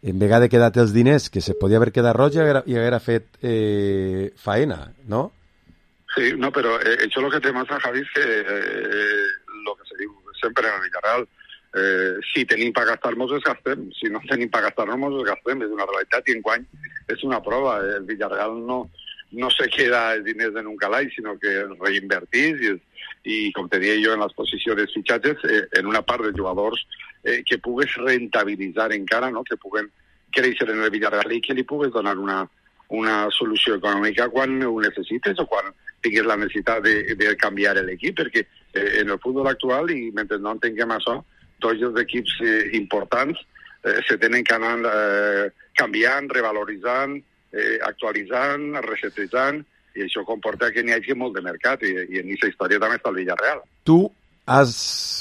en vegada de quedar els diners que se podia haver quedat roig i haguera, i haguera fet eh, faena, no? Sí, no, però eh, això el que té massa, Javi, és que eh, lo que se diu sempre en el Villarreal, eh, si tenim per gastar-nos els gastem, si no tenim per gastar-nos els gastem, és una realitat, i enguany és una prova. El Villarreal no, no se queda els diners en un calaix, sinó que els reinvertís i, i com te deia jo en l'exposició dels fitxatges, eh, en una part de jugadors eh, que pugues rentabilitzar encara, no? Que puguen créixer en el Villarreal i que li pugues donar una, una solució econòmica quan ho necessites o quan tinguis la necessitat de, de canviar l'equip, perquè eh, en el futbol actual, i mentre no entenguem això, tots els equips eh, importants eh, se tenen que anar eh, canviant, revaloritzant, eh, actualitzant, resetejant, i això comporta que n'hi hagi molt de mercat, i, i en aquesta història també està el Villarreal. Tu has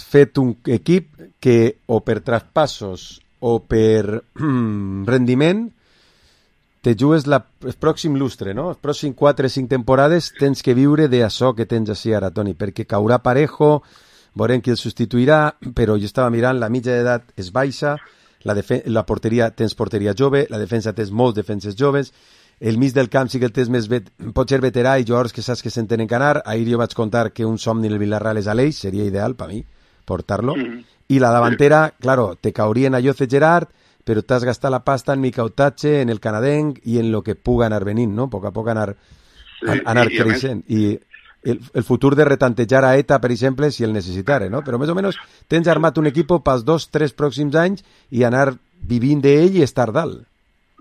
fet un equip que o per traspassos o per rendiment te jugues la, el pròxim lustre, no? Els pròxims quatre o cinc temporades tens que viure d'això que tens així ara, Toni, perquè caurà Parejo, veurem qui el substituirà, però jo estava mirant, la mitja d'edat és baixa, la, defen- la porteria, tens porteria jove, la defensa tens molts defenses joves, el mig del camp sí que el tens més vet... pot ser veterà i jugadors que saps que s'entenen canar. Ahir jo vaig contar que un somni en el Villarreal és Aleix, seria ideal per mi portar-lo. Mm-hmm. I la davantera, claro, te caurien a Jose Gerard, però t'has gastat la pasta en Mica Utache, en el canadenc i en lo que puga anar venint, no? A poc a poc anar, sí, anar i, creixent. I el, el futur de retantejar a ETA, per exemple, si el necessitara, no? Però més o menys tens armat un equip pels dos, tres pròxims anys i anar vivint d'ell i estar dalt.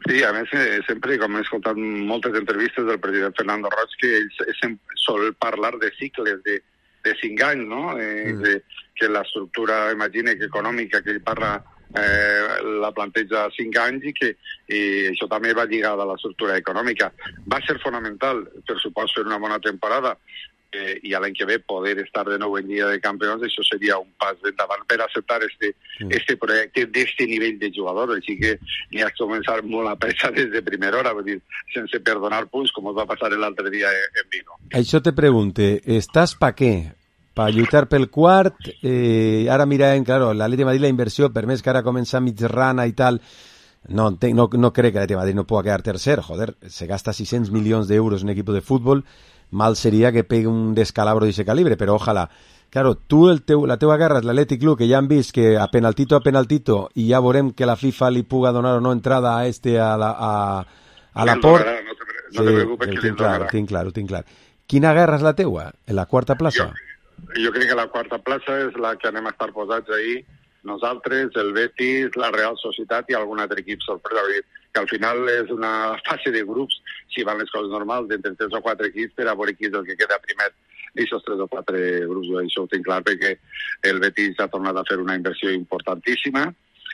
Sí, a més, eh, sempre, com he escoltat moltes entrevistes del president Fernando Roig, que ell sempre sol parlar de cicles de, de cinc anys, no? Eh, mm. de, que l'estructura, imagine, que econòmica que ell parla eh, la planteja cinc anys i que i això també va lligada a l'estructura econòmica. Va ser fonamental, per supost, fer una bona temporada eh, i l'any que ve poder estar de nou en Lliga de Campions, això seria un pas endavant per acceptar este, mm. este projecte d'este nivell de jugador, així que n'hi ha que començar molt a pressa des de primera hora, vull dir, sense perdonar punts, com va passar l'altre dia en Vigo. Això te pregunte, estàs pa què? Per lluitar pel quart, eh, ara mirem, claro, l'Atleti de Madrid la inversió, per més que ara comença mig rana i tal, no, no, no crec que l'Atleti de Madrid no pugui quedar tercer, joder, se gasta sis-cents milions d'euros en un equip de futbol, mal seria que pegue un descalabro d'aquest calibre, però ojalà. Claro, tu, el teu, la teua guerra és l'Atlètic Club, que ja han vist que a penaltito a penaltito, i ja veurem que la FIFA li puga donar o no entrada a este, a la, a, a la Port. No te, no te preocupes, que tinc clar, ho tinc clar, ho tinc clar. Quina guerra és la teua? En la quarta plaça? Jo, jo crec que la quarta plaça és la que anem a estar posats ahir, nosaltres, el Betis, la Real Societat i algun altre equip sorpresa, que al final és una fase de grups, si van les coses normals, d'entre tres o quatre equips per a veure qui és el que queda primer d'aquests tres o quatre grups. Això ho tinc clar perquè el Betis ha tornat a fer una inversió importantíssima,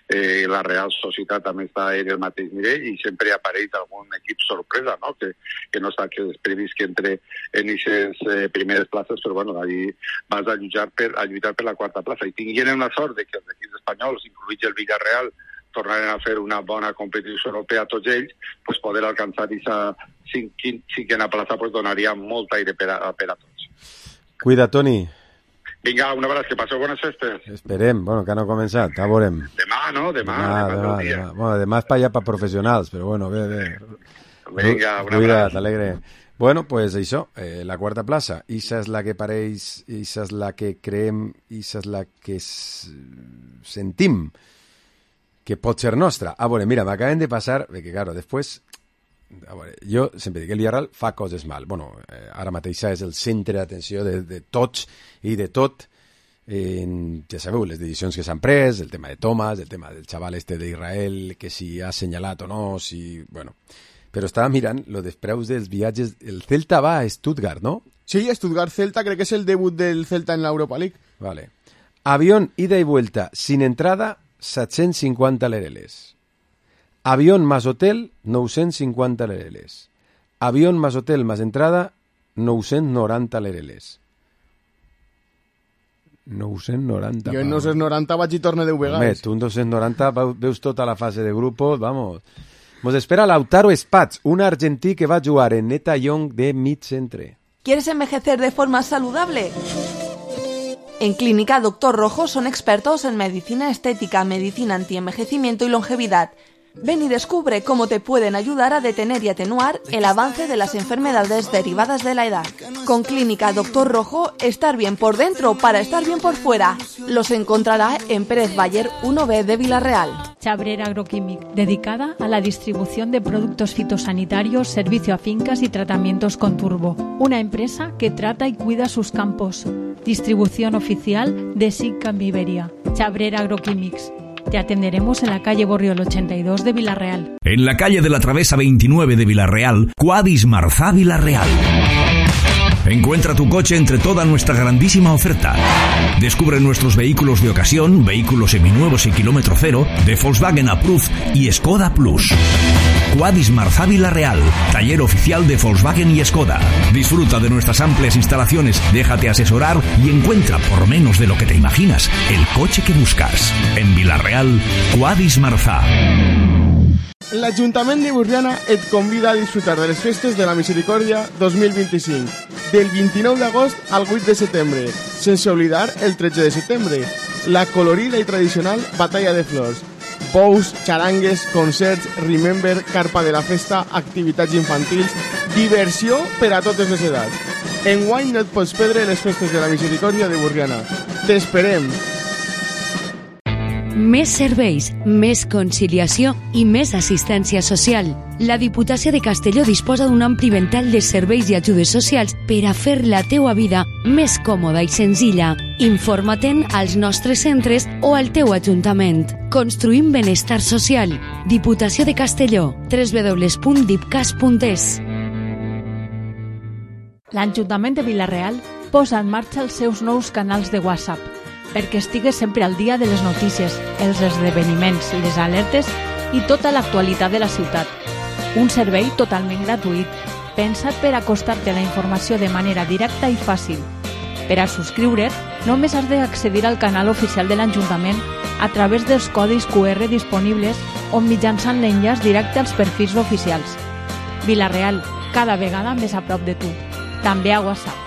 eh, la Real Societat també està en el mateix nivell i sempre apareix algun equip sorpresa, no? que, que no està que és previst que entre en aquestes eh, primeres places, però bueno, allí vas a lluitar per, a lluitar per la quarta plaça. I tingueren la sort de que els equips espanyols, incluïts el Villarreal, tornaren a fer una bona competició europea a tots ells, pues poder alcançar aquesta cinquena plaça pues donaria molt aire per a, per a tots. Cuida, Toni. Vinga, un abraç, que passeu bones festes. Esperem, bueno, que no ha començat, ja veurem. Demà, no? Demà, demà, demà, demà, demà. Bueno, demà és per allà per professionals, però bueno, bé, bé. Vinga, un abraç. Cuida't, alegre. Bueno, pues això, eh, la quarta plaça, issa és la que pareix, issa és la que creem, issa és la que sentim que pot ser nostra. Ah, bueno, mira, m'acaben de passar, perquè, claro, després, a veure, jo sempre dic que el Villarreal fa coses mal. Bueno, eh, ara mateix és el centre d'atenció de, de tots i de tot. En, ja sabeu, les decisions que s'han pres, el tema de Thomas, el tema del xaval este d'Israel, que si ha assenyalat o no, si... Bueno, però estava mirant lo dels preus dels viatges. El Celta va a Stuttgart, ¿no? Sí, Stuttgart-Celta, crec que és el debut del Celta en la Europa League. Vale. Avión, ida y vuelta, sin entrada, set-cents cinquanta lereles. Avión más hotel, nou-cents cinquanta lereles. Avión más hotel más entrada, nou-cents noranta lereles. nou-cents noranta. Jo en nou-cents noranta vaig i torne deu vegades. Home, tu en dos-cents noranta veus tota la fase de grupos, vamos. Nos espera Lautaro Spats, un argentí que va a jugar en Neta Young de mid-centre. ¿Quieres envejecer de forma saludable? En Clínica Doctor Rojo son expertos en medicina estética, medicina antienvejecimiento y longevidad. Ven y descubre cómo te pueden ayudar a detener y atenuar el avance de las enfermedades derivadas de la edad. Con Clínica Doctor Rojo, estar bien por dentro para estar bien por fuera. Los encontrará en Pérez Bayer uno B de Villarreal. Chabrera Agroquímic, dedicada a la distribución de productos fitosanitarios, servicio a fincas y tratamientos con turbo. Una empresa que trata y cuida sus campos. Distribución oficial de S I C en Iberia. Chabrera Agroquímics. Te atenderemos en la calle Borriol ochenta y dos de Villarreal. En la calle de la Travesa veintinueve de Villarreal, Quadis Marzá Villarreal. Encuentra tu coche entre toda nuestra grandísima oferta. Descubre nuestros vehículos de ocasión, vehículos seminuevos y kilómetro cero, de Volkswagen Approved y Skoda Plus. Quadis Marzá Villarreal, taller oficial de Volkswagen y Skoda. Disfruta de nuestras amplias instalaciones, déjate asesorar y encuentra, por menos de lo que te imaginas, el coche que buscas. En Villarreal, Quadis Marzá. L'Ajuntament de Borriana et convida a disfrutar de les festes de la Misericòrdia dos mil vint-i-cinc, del vint-i-nou d'agost al vuit de setembre, sense oblidar el tretze de setembre, la colorida i tradicional Batalla de Flors. Pous, xarangues, concerts, remember, carpa de la festa, activitats infantils, diversió per a totes les edats. Enguany no et pots perdre les festes de la Misericòrdia de Borriana. T'esperem! Més serveis, més conciliació i més assistència social. La Diputació de Castelló disposa d'un ampli ventall de serveis i ajudes socials per a fer la teua vida més còmoda i senzilla. Informa-te'n als nostres centres o al teu ajuntament. Construïm benestar social. Diputació de Castelló. doble u doble u doble u punt dipcas punt es. L'Ajuntament de Vila-real posa en marxa els seus nous canals de WhatsApp perquè estigues sempre al dia de les notícies, els esdeveniments, les alertes i tota l'actualitat de la ciutat. Un servei totalment gratuït, pensat per acostar-te la informació de manera directa i fàcil. Per a subscriure't, només has d'accedir al canal oficial de l'Ajuntament a través dels codis cu erre disponibles o mitjançant l'enllaç directe als perfils oficials. Vila-real, cada vegada més a prop de tu. També a WhatsApp.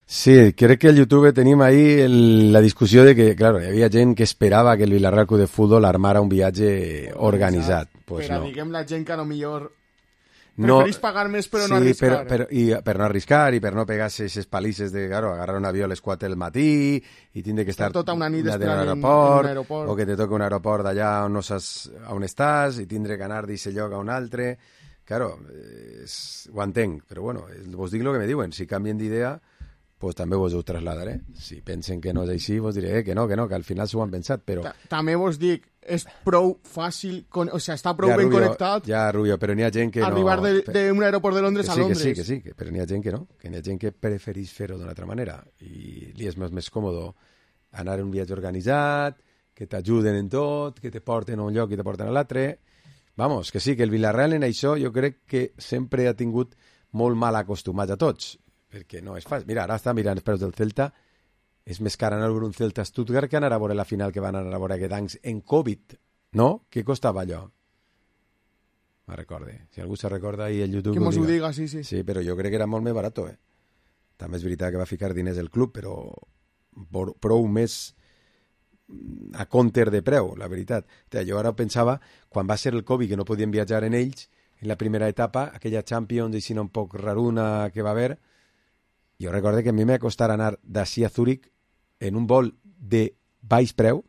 Sí, crec que al YouTube tenim ahí el, la discussió de que, claro, hi havia gent que esperava que el Vila-real Club de Futbol armara un viatge organitzat. Pues però no. diguem la gent que a lo millor no, preferís pagar més però sí, no arriscar. Però, però, i, per no arriscar i per no pegar-se aquestes palisses de, claro, agarrar un avió a les quatre del matí i tindre que estar tota una nit en un aeroport, aeroport, o que te toca un aeroport d'allà on no saps on estàs i tindre que anar d'aquest lloc a un altre. Claro, és, ho entenc, però bueno, vos dic el que me diuen, si canvien d'idea pues també vos ho trasladaré. Si pensen que no és així, vos diré eh, que no, que no, que al final s'ho han pensat, però... Ta també vos dic, és prou fàcil, con... o sigui, està prou ja, ben Rubio, connectat... Ja, Rubio, però n'hi ha gent que arribar no... Arribar d'un de, aeroport de Londres que sí, a Londres. Que sí, que sí, que sí, que, però n'hi ha gent que no, que n'hi ha gent que preferís fer-ho d'una altra manera, i li és més, més còmode anar en un viatge organitzat, que t'ajuden en tot, que te porten a un lloc i te porten a l'altre... Vamos, que sí, que el Vila-real en això jo crec que sempre ha tingut molt mal acostumats a tots, perquè no és fàcil. Mira, ara està mirant els preus del Celta, és més car anar a veure un Celta a Stuttgart que anar a veure la final que van anar a veure aquest anys en Covid, no? Què costava allò? Me recorde. Si algú se recorda ahí el YouTube... Que mos ho diga, sí, sí. Sí, però jo crec que era molt més barat, eh? També és veritat que va ficar diners el club, però prou més a compter de preu, la veritat. Jo ara pensava, quan va ser el Covid, que no podien viatjar en ells, en la primera etapa, aquella Champions, així un poc raruna que va haver, jo recordo que a mi m'ha costat anar d'ací a Zúrich en un vol de baix preu,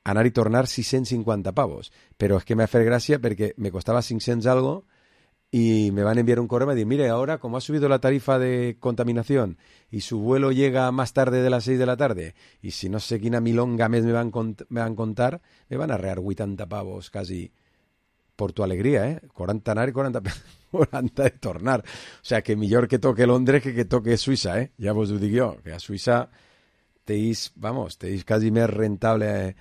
anar i tornar sis-cents cinquanta pavos. Però és que m'ha fet gràcia perquè me costava cinc-cents algo y me van a enviar un correo y me dicen, mire, ahora como ha subido la tarifa de contaminación y su vuelo llega más tarde de las seis de la tarde y si no sé quina milonga més me van, cont me van contar, me van a rear vuitanta pavos casi por tu alegría, ¿eh? cuarenta anar y cuarenta, cuarenta de tornar. O sea, que millor que toque Londres que que toque Suïssa, ¿eh? Ja vos ho dic jo, que a Suïssa teis, vamos, teis quasi més rentable eh,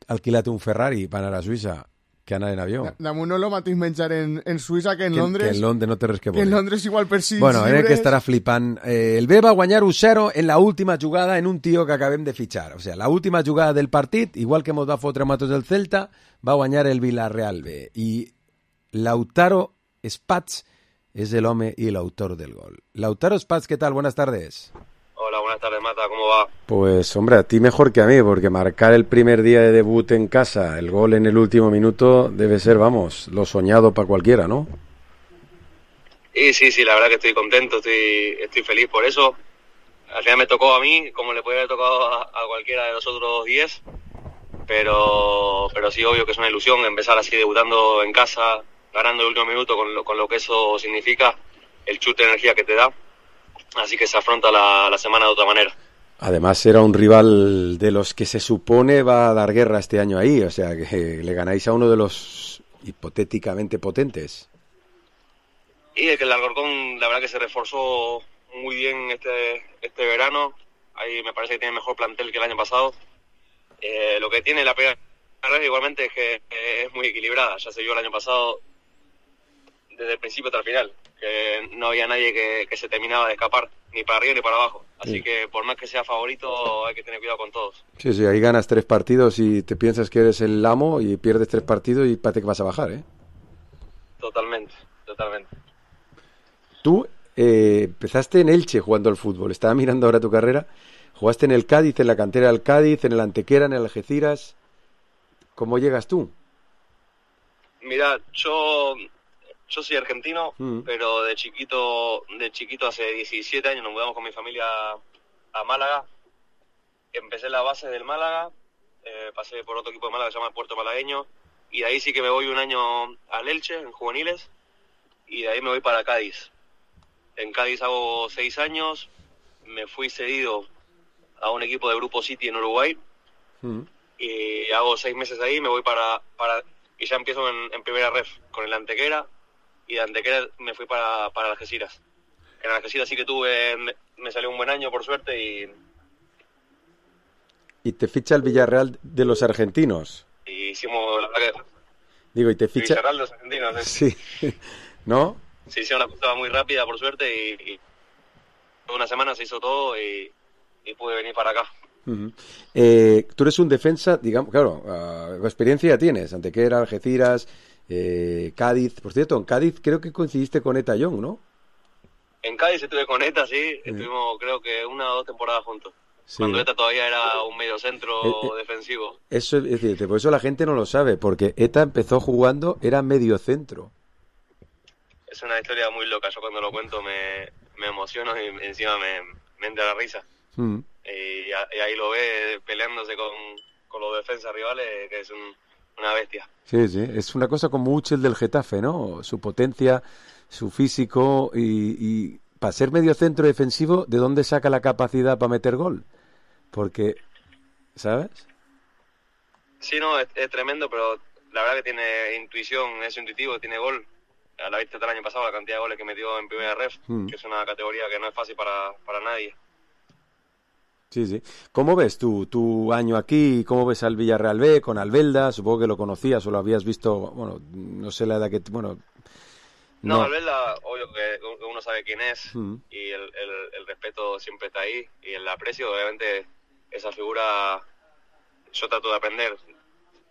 alquilar un Ferrari per anar a Suïssa que anar en avió. Damunt no lo mateix menjar en, en Suïssa que en que, Londres. Que en Londres no té res que veure. Que en Londres igual per si bueno, llibres... Bueno, que estarà flipant. Eh, el B va guanyar un zero en la última jugada en un tio que acabem de fitxar. O sea, la última jugada del partit, igual que mos va fotre matos del Celta, va guanyar el Villarreal B. I Lautaro Spats es el home y el autor del gol. Lautaro Spats, ¿qué tal? Buenas tardes. Hola, buenas tardes, Mata, ¿cómo va? Pues, hombre, a ti mejor que a mí, porque marcar el primer día de debut en casa, el gol en el último minuto, debe ser, vamos, lo soñado para cualquiera, ¿no? Sí, sí, sí, la verdad que estoy contento, estoy, estoy feliz por eso. Al final me tocó a mí, como le puede haber tocado a, a cualquiera de los otros diez, pero, pero sí, obvio que es una ilusión empezar así debutando en casa, ganando el último minuto, con lo, con lo que eso significa, el chute de energía que te da. Así que se afronta la, la semana de otra manera. Además era un rival de los que se supone va a dar guerra este año ahí, o sea que le ganáis a uno de los hipotéticamente potentes. Y el que el Alcorcón la verdad que se reforzó muy bien este, este verano, ahí me parece que tiene mejor plantel que el año pasado. Eh, lo que tiene la primera vez igualmente es que eh, es muy equilibrada, ya se vio el año pasado desde el principio hasta el final, que no había nadie que, que se terminaba de escapar, ni para arriba ni para abajo. Así sí. que por más que sea favorito, hay que tener cuidado con todos. Sí, sí, ahí ganas tres partidos y te piensas que eres el amo y pierdes tres partidos y pate que vas a bajar, ¿eh? Totalmente, totalmente. Tú eh, empezaste en Elche jugando al fútbol, estaba mirando ahora tu carrera, jugaste en el Cádiz, en la cantera del Cádiz, en el Antequera, en el Algeciras, ¿Cómo llegas tú? Mira, yo yo soy argentino, Mm. pero de chiquito, de chiquito hace diecisiete años nos mudamos con mi familia a Málaga. Empecé la base del Málaga, eh, pasé por otro equipo de Málaga que se llama Puerto Malagueño, y de ahí sí que me voy un año al Elche, en juveniles, y de ahí me voy para Cádiz. En Cádiz hago seis años, me fui cedido a un equipo de Grupo City en Uruguay, Mm. y hago seis meses ahí, me voy para, para y ya empiezo en, en primera ref con el Antequera, y de Antequera me fui para, para Algeciras. En Algeciras sí que tuve, me, me salió un buen año por suerte, y, Y te ficha el Villarreal de los argentinos. y hicimos la verdad que Digo, y te ficha... Villarreal de los argentinos, ¿eh? Sí, ¿no? Se hicieron la cosa muy rápida por suerte, y, y en una semana se hizo todo y, y pude venir para acá. Uh-huh. Eh, tú eres un defensa, digamos, claro, uh, experiencia ya tienes, Antequera, Algeciras, eh, Cádiz. Por cierto, en Cádiz creo que coincidiste con Eta Young, ¿no? En Cádiz estuve con Eta, sí, estuvimos creo que una o dos temporadas juntos. Sí. Cuando Eta todavía era un medio centro Eh, eh, defensivo. Eso es decir, por eso la gente no lo sabe, porque Eta empezó jugando, era medio centro. Es una historia muy loca, yo cuando lo cuento me, me emociono y encima me, me entra la risa. Mm. Y, a- y ahí lo ve peleándose con, con los defensas rivales, que es un, una bestia. Sí, sí, es una cosa como Uchel del Getafe, ¿no? Su potencia, su físico y, y para ser medio centro defensivo, ¿de dónde saca la capacidad para meter gol? Porque, ¿sabes? Sí, no, es, es tremendo, pero la verdad que tiene intuición, es intuitivo, tiene gol. A la vista del año pasado la cantidad de goles que metió en primera ref, Mm. que es una categoría que no es fácil para, para nadie. Sí, sí. ¿Cómo ves tu, tu año aquí? ¿Cómo ves al Villarreal B con Albelda? Supongo que lo conocías o lo habías visto, bueno, no sé la edad que... Bueno, No, no. Albelda, obvio que que uno sabe quién es, Mm. y el, el, el respeto siempre está ahí, y el aprecio, obviamente, esa figura yo trato de aprender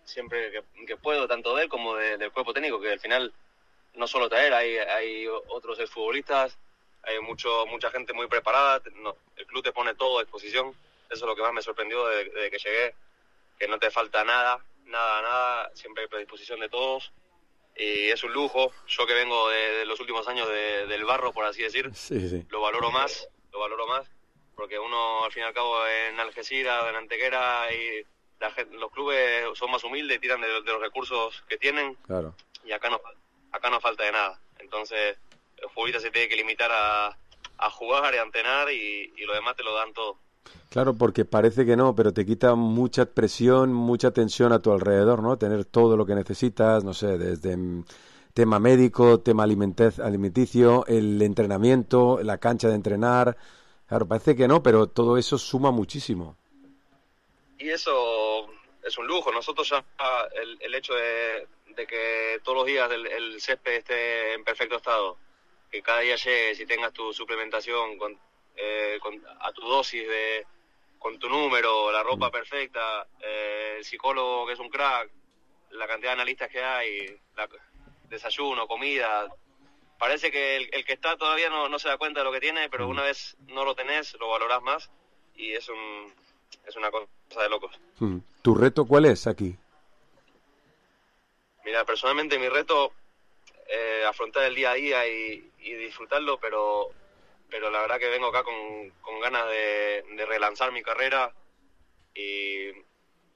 siempre que, que puedo, tanto de él como de- del cuerpo técnico, que al final no solo traer, hay, hay otros exfutbolistas, hay mucho mucha gente muy preparada, no, el club te pone todo a disposición, eso es lo que más me sorprendió desde, desde que llegué, que no te falta nada, nada, nada, siempre hay predisposición de todos, y es un lujo. Yo que vengo de, de los últimos años de- del barro, por así decir, Sí, sí. lo valoro más, lo valoro más, porque uno al fin y al cabo en Algeciras, en Antequera, y la gen- los clubes son más humildes y tiran de, de los recursos que tienen, Claro. y acá no acá no falta de nada. Entonces el futbolista se tiene que limitar a, a jugar y a entrenar, y, y lo demás te lo dan todo. Claro, porque parece que no, pero te quita mucha presión, mucha tensión a tu alrededor, ¿no? Tener todo lo que necesitas, no sé, desde mm, tema médico, tema alimenta- alimenticio, el entrenamiento, la cancha de entrenar. Claro, parece que no, pero todo eso suma muchísimo. Y eso es un lujo. Nosotros ya el, el hecho de, de que todos los días el, el césped esté en perfecto estado, que cada día llegues y tengas tu suplementación con, eh, con- a tu dosis, de con tu número, la ropa perfecta, eh, el psicólogo que es un crack, la cantidad de analistas que hay, la, desayuno, comida. Parece que el, el que está todavía no, no se da cuenta de lo que tiene, pero una vez no lo tenés, lo valorás más, y es un es una cosa de locos. Mm. ¿Tu reto cuál es aquí? Mira, personalmente mi reto eh, afrontar el día a día y, y disfrutarlo, pero pero la verdad que vengo acá con, con ganas de, de relanzar mi carrera y,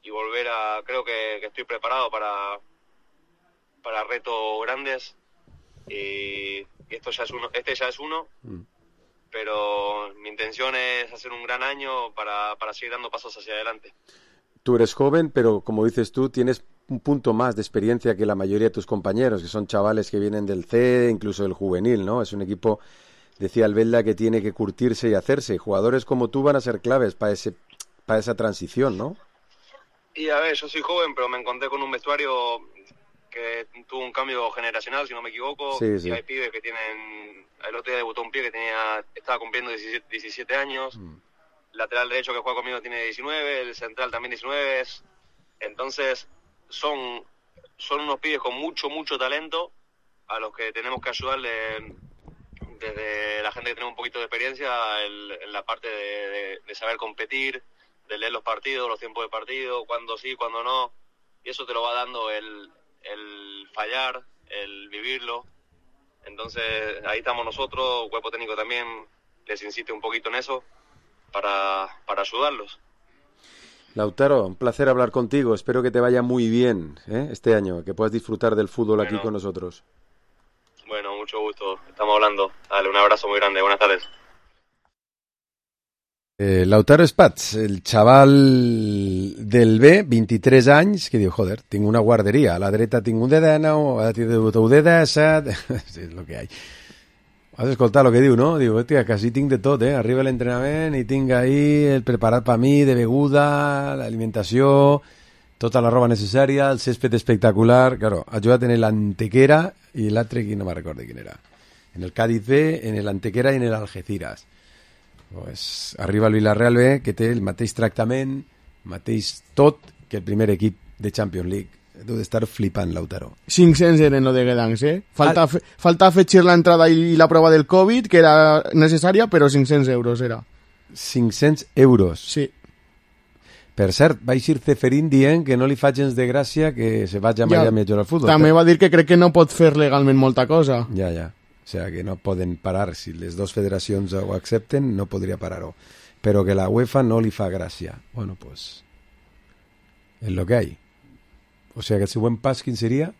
y volver a... Creo que, que estoy preparado para, para retos grandes, y, y esto ya es uno, este ya es uno, Mm. pero mi intención es hacer un gran año para, para seguir dando pasos hacia adelante. Tú eres joven, pero como dices tú, tienes un punto más de experiencia que la mayoría de tus compañeros, que son chavales que vienen del C, incluso del juvenil, ¿no? Es un equipo, decía Albelda, que tiene que curtirse y hacerse. Jugadores como tú van a ser claves para ese, para esa transición, ¿no? Y a ver, yo soy joven, pero me encontré con un vestuario que tuvo un cambio generacional, si no me equivoco. Sí, sí. Y hay pibes que tienen... El otro día debutó un pibe que tenía estaba cumpliendo diecisiete, diecisiete años. Lateral derecho que juega conmigo tiene diecinueve, el central también diecinueve. Entonces, son, son unos pibes con mucho, mucho talento, a los que tenemos que ayudarle desde la gente que tiene un poquito de experiencia el- en la parte de, de- de saber competir, de leer los partidos, los tiempos de partido, cuándo sí, cuándo no. y eso te lo va dando el, el fallar, el vivirlo. Entonces ahí estamos nosotros, cuerpo técnico también les insiste un poquito en eso para, para ayudarlos. Lautaro, un placer hablar contigo, espero que te vaya muy bien, ¿eh? este año, que puedas disfrutar del fútbol bueno, aquí con nosotros. Bueno, mucho gusto, estamos hablando. Dale, un abrazo muy grande, buenas tardes. Eh, Lautaro Spats, el chaval del B, vint-i-tres anys, que diu, joder, tinc una guarderia, a la dreta tinc un D D N, a la dreta un D D S, sí, és el que hi ha. Has escoltat el que diu, no? Diu, hòstia, quasi tinc de tot, eh? Arriba l'entrenament i tinc ahí el preparat per mi, de beguda, l'alimentació, tota la roba necessària, el césped espectacular. Claro, ha jugat en l'Antequera i l'altre, no me'n recordo quin era. En el Cádiz B, en l'Antequera i en l'Algeciras. Pues arriba el Villarreal B, que té el mateix tractament, mateix tot que el primer equip de Champions League. Deu d'estar flipant, Lautaro. cinc-cents eren lo de Guedancs, eh? Falta, ah. fe, falta afegir la entrada i la prova del Covid, que era necessària, però cinc-cents euros era. cinc-cents euros? Sí. Per cert, va eixir Ceferín dient que no li fa gens de gràcia que se vagi a Miami ja, a jugar al futbol. També va dir que crec que no pot fer legalment molta cosa. Ja, ja. O sea, que no poden parar. Si les dues federacions ho accepten, no podria parar-ho. Però que la UEFA no li fa gràcia. Bueno, pues... és lo que hay. O sea, que el següent pas, quin seria?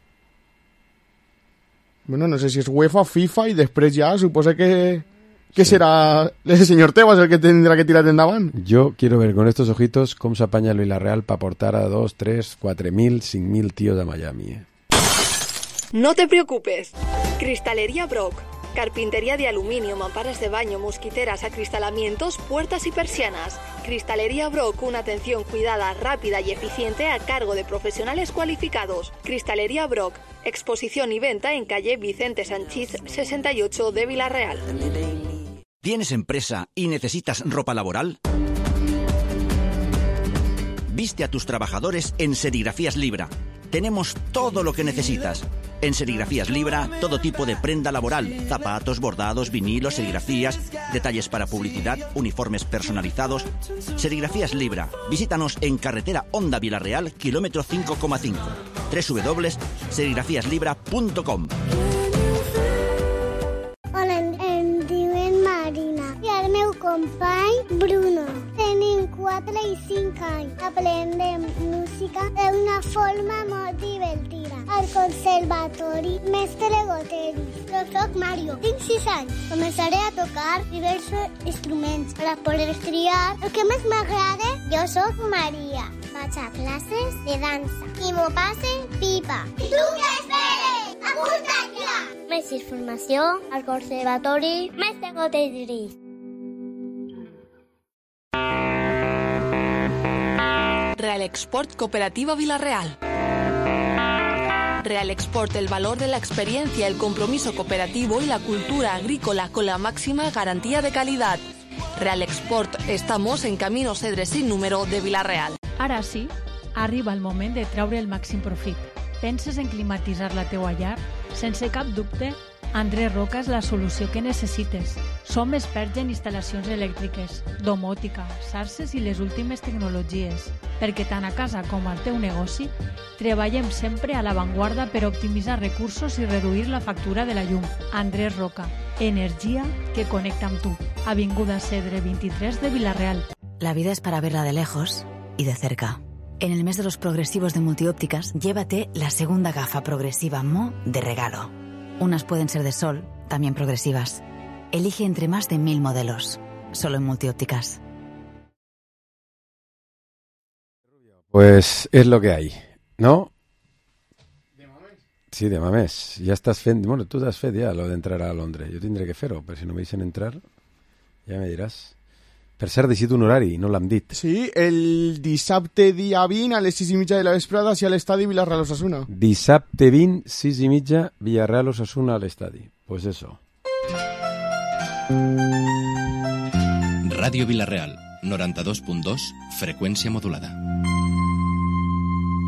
Bueno, no sé si és UEFA, FIFA, i després ja suposa que, que sí. serà el senyor Tebas el que tindrà que tirar endavant. Yo quiero ver con estos ojitos cómo se apaña el Villarreal para aportar a dos, tres, cuatro mil, cinco mil tíos a Miami. Eh. No te preocupes. Cristalería Brock. Carpintería de aluminio, mamparas de baño, mosquiteras, acristalamientos, puertas y persianas. Cristalería Brock, una atención cuidada, rápida y eficiente a cargo de profesionales cualificados. Cristalería Brock, exposición y venta en calle Vicente Sanchís sesenta y ocho de Villarreal. ¿Tienes empresa y necesitas ropa laboral? Viste a tus trabajadores en Serigrafías Libra. Tenemos todo lo que necesitas. En Serigrafías Libra, todo tipo de prenda laboral, zapatos, bordados, vinilos, serigrafías, detalles para publicidad, uniformes personalizados. Serigrafías Libra. Visítanos en carretera Honda Villarreal, kilómetro cinco coma cinco. doble u doble u doble u punt serigrafías libra punt com. Hola, em diuen Marina i el meu company Bruno. Tenim quatre i cinc anys. Aprendem música d'una forma molt divertida. Al conservatori Mestre Goteri. Jo soc Mario, tinc sis anys. Començaré a tocar diversos instruments per a poder triar el que més m'agrada. Jo soc Maria. Vaig a classes de dansa i m'ho passe pipa. I tu què esperes? Apunta't ja! Més informació al conservatori Mestre Goteri. Real Export Cooperativa Villarreal. Real Export, el valor de la experiencia, el compromiso cooperativo y la cultura agrícola con la máxima garantía de calidad. Real Export, estamos en Camino Cedre sin número de Villarreal. Ara sí, arriba el moment de treure el màxim profit. Penses en climatitzar la teua llar? Sense cap dubte, Andrés Roca és la solució que necessites. Som experts en instal·lacions elèctriques, domòtica, xarxes i les últimes tecnologies, perquè tant a casa com al teu negoci treballem sempre a l'avantguarda per optimitzar recursos i reduir la factura de la llum. Andrés Roca, energia que connecta amb tu. Avinguda Cedre vint-i-tres de Villarreal. La vida es para verla de lejos y de cerca. En el mes de los progresivos de Multiópticas, llévate la segunda gafa progresiva Mo de regalo. Unas pueden ser de sol, también progresivas. Elige entre más de mil modelos, solo en Multiópticas. Pues es lo que hay, ¿no? Sí, de mamés. Ja estàs fent... Bueno, tu t'has fet ja lo d'entrar a Londres. Jo tindré que fer-ho, però si no me deixen entrar, ja me diràs. Per cert, deixit un horari, no l'hem dit. Sí, el dissabte dia vint a les sis i mitja de la vesprada si a l'estadi Villarreal Osasuna. Dissabte vint, sis i mitja, Villarreal Osasuna a l'estadi. Pues eso. Ràdio Villarreal, noranta-dos punt dos, freqüència modulada.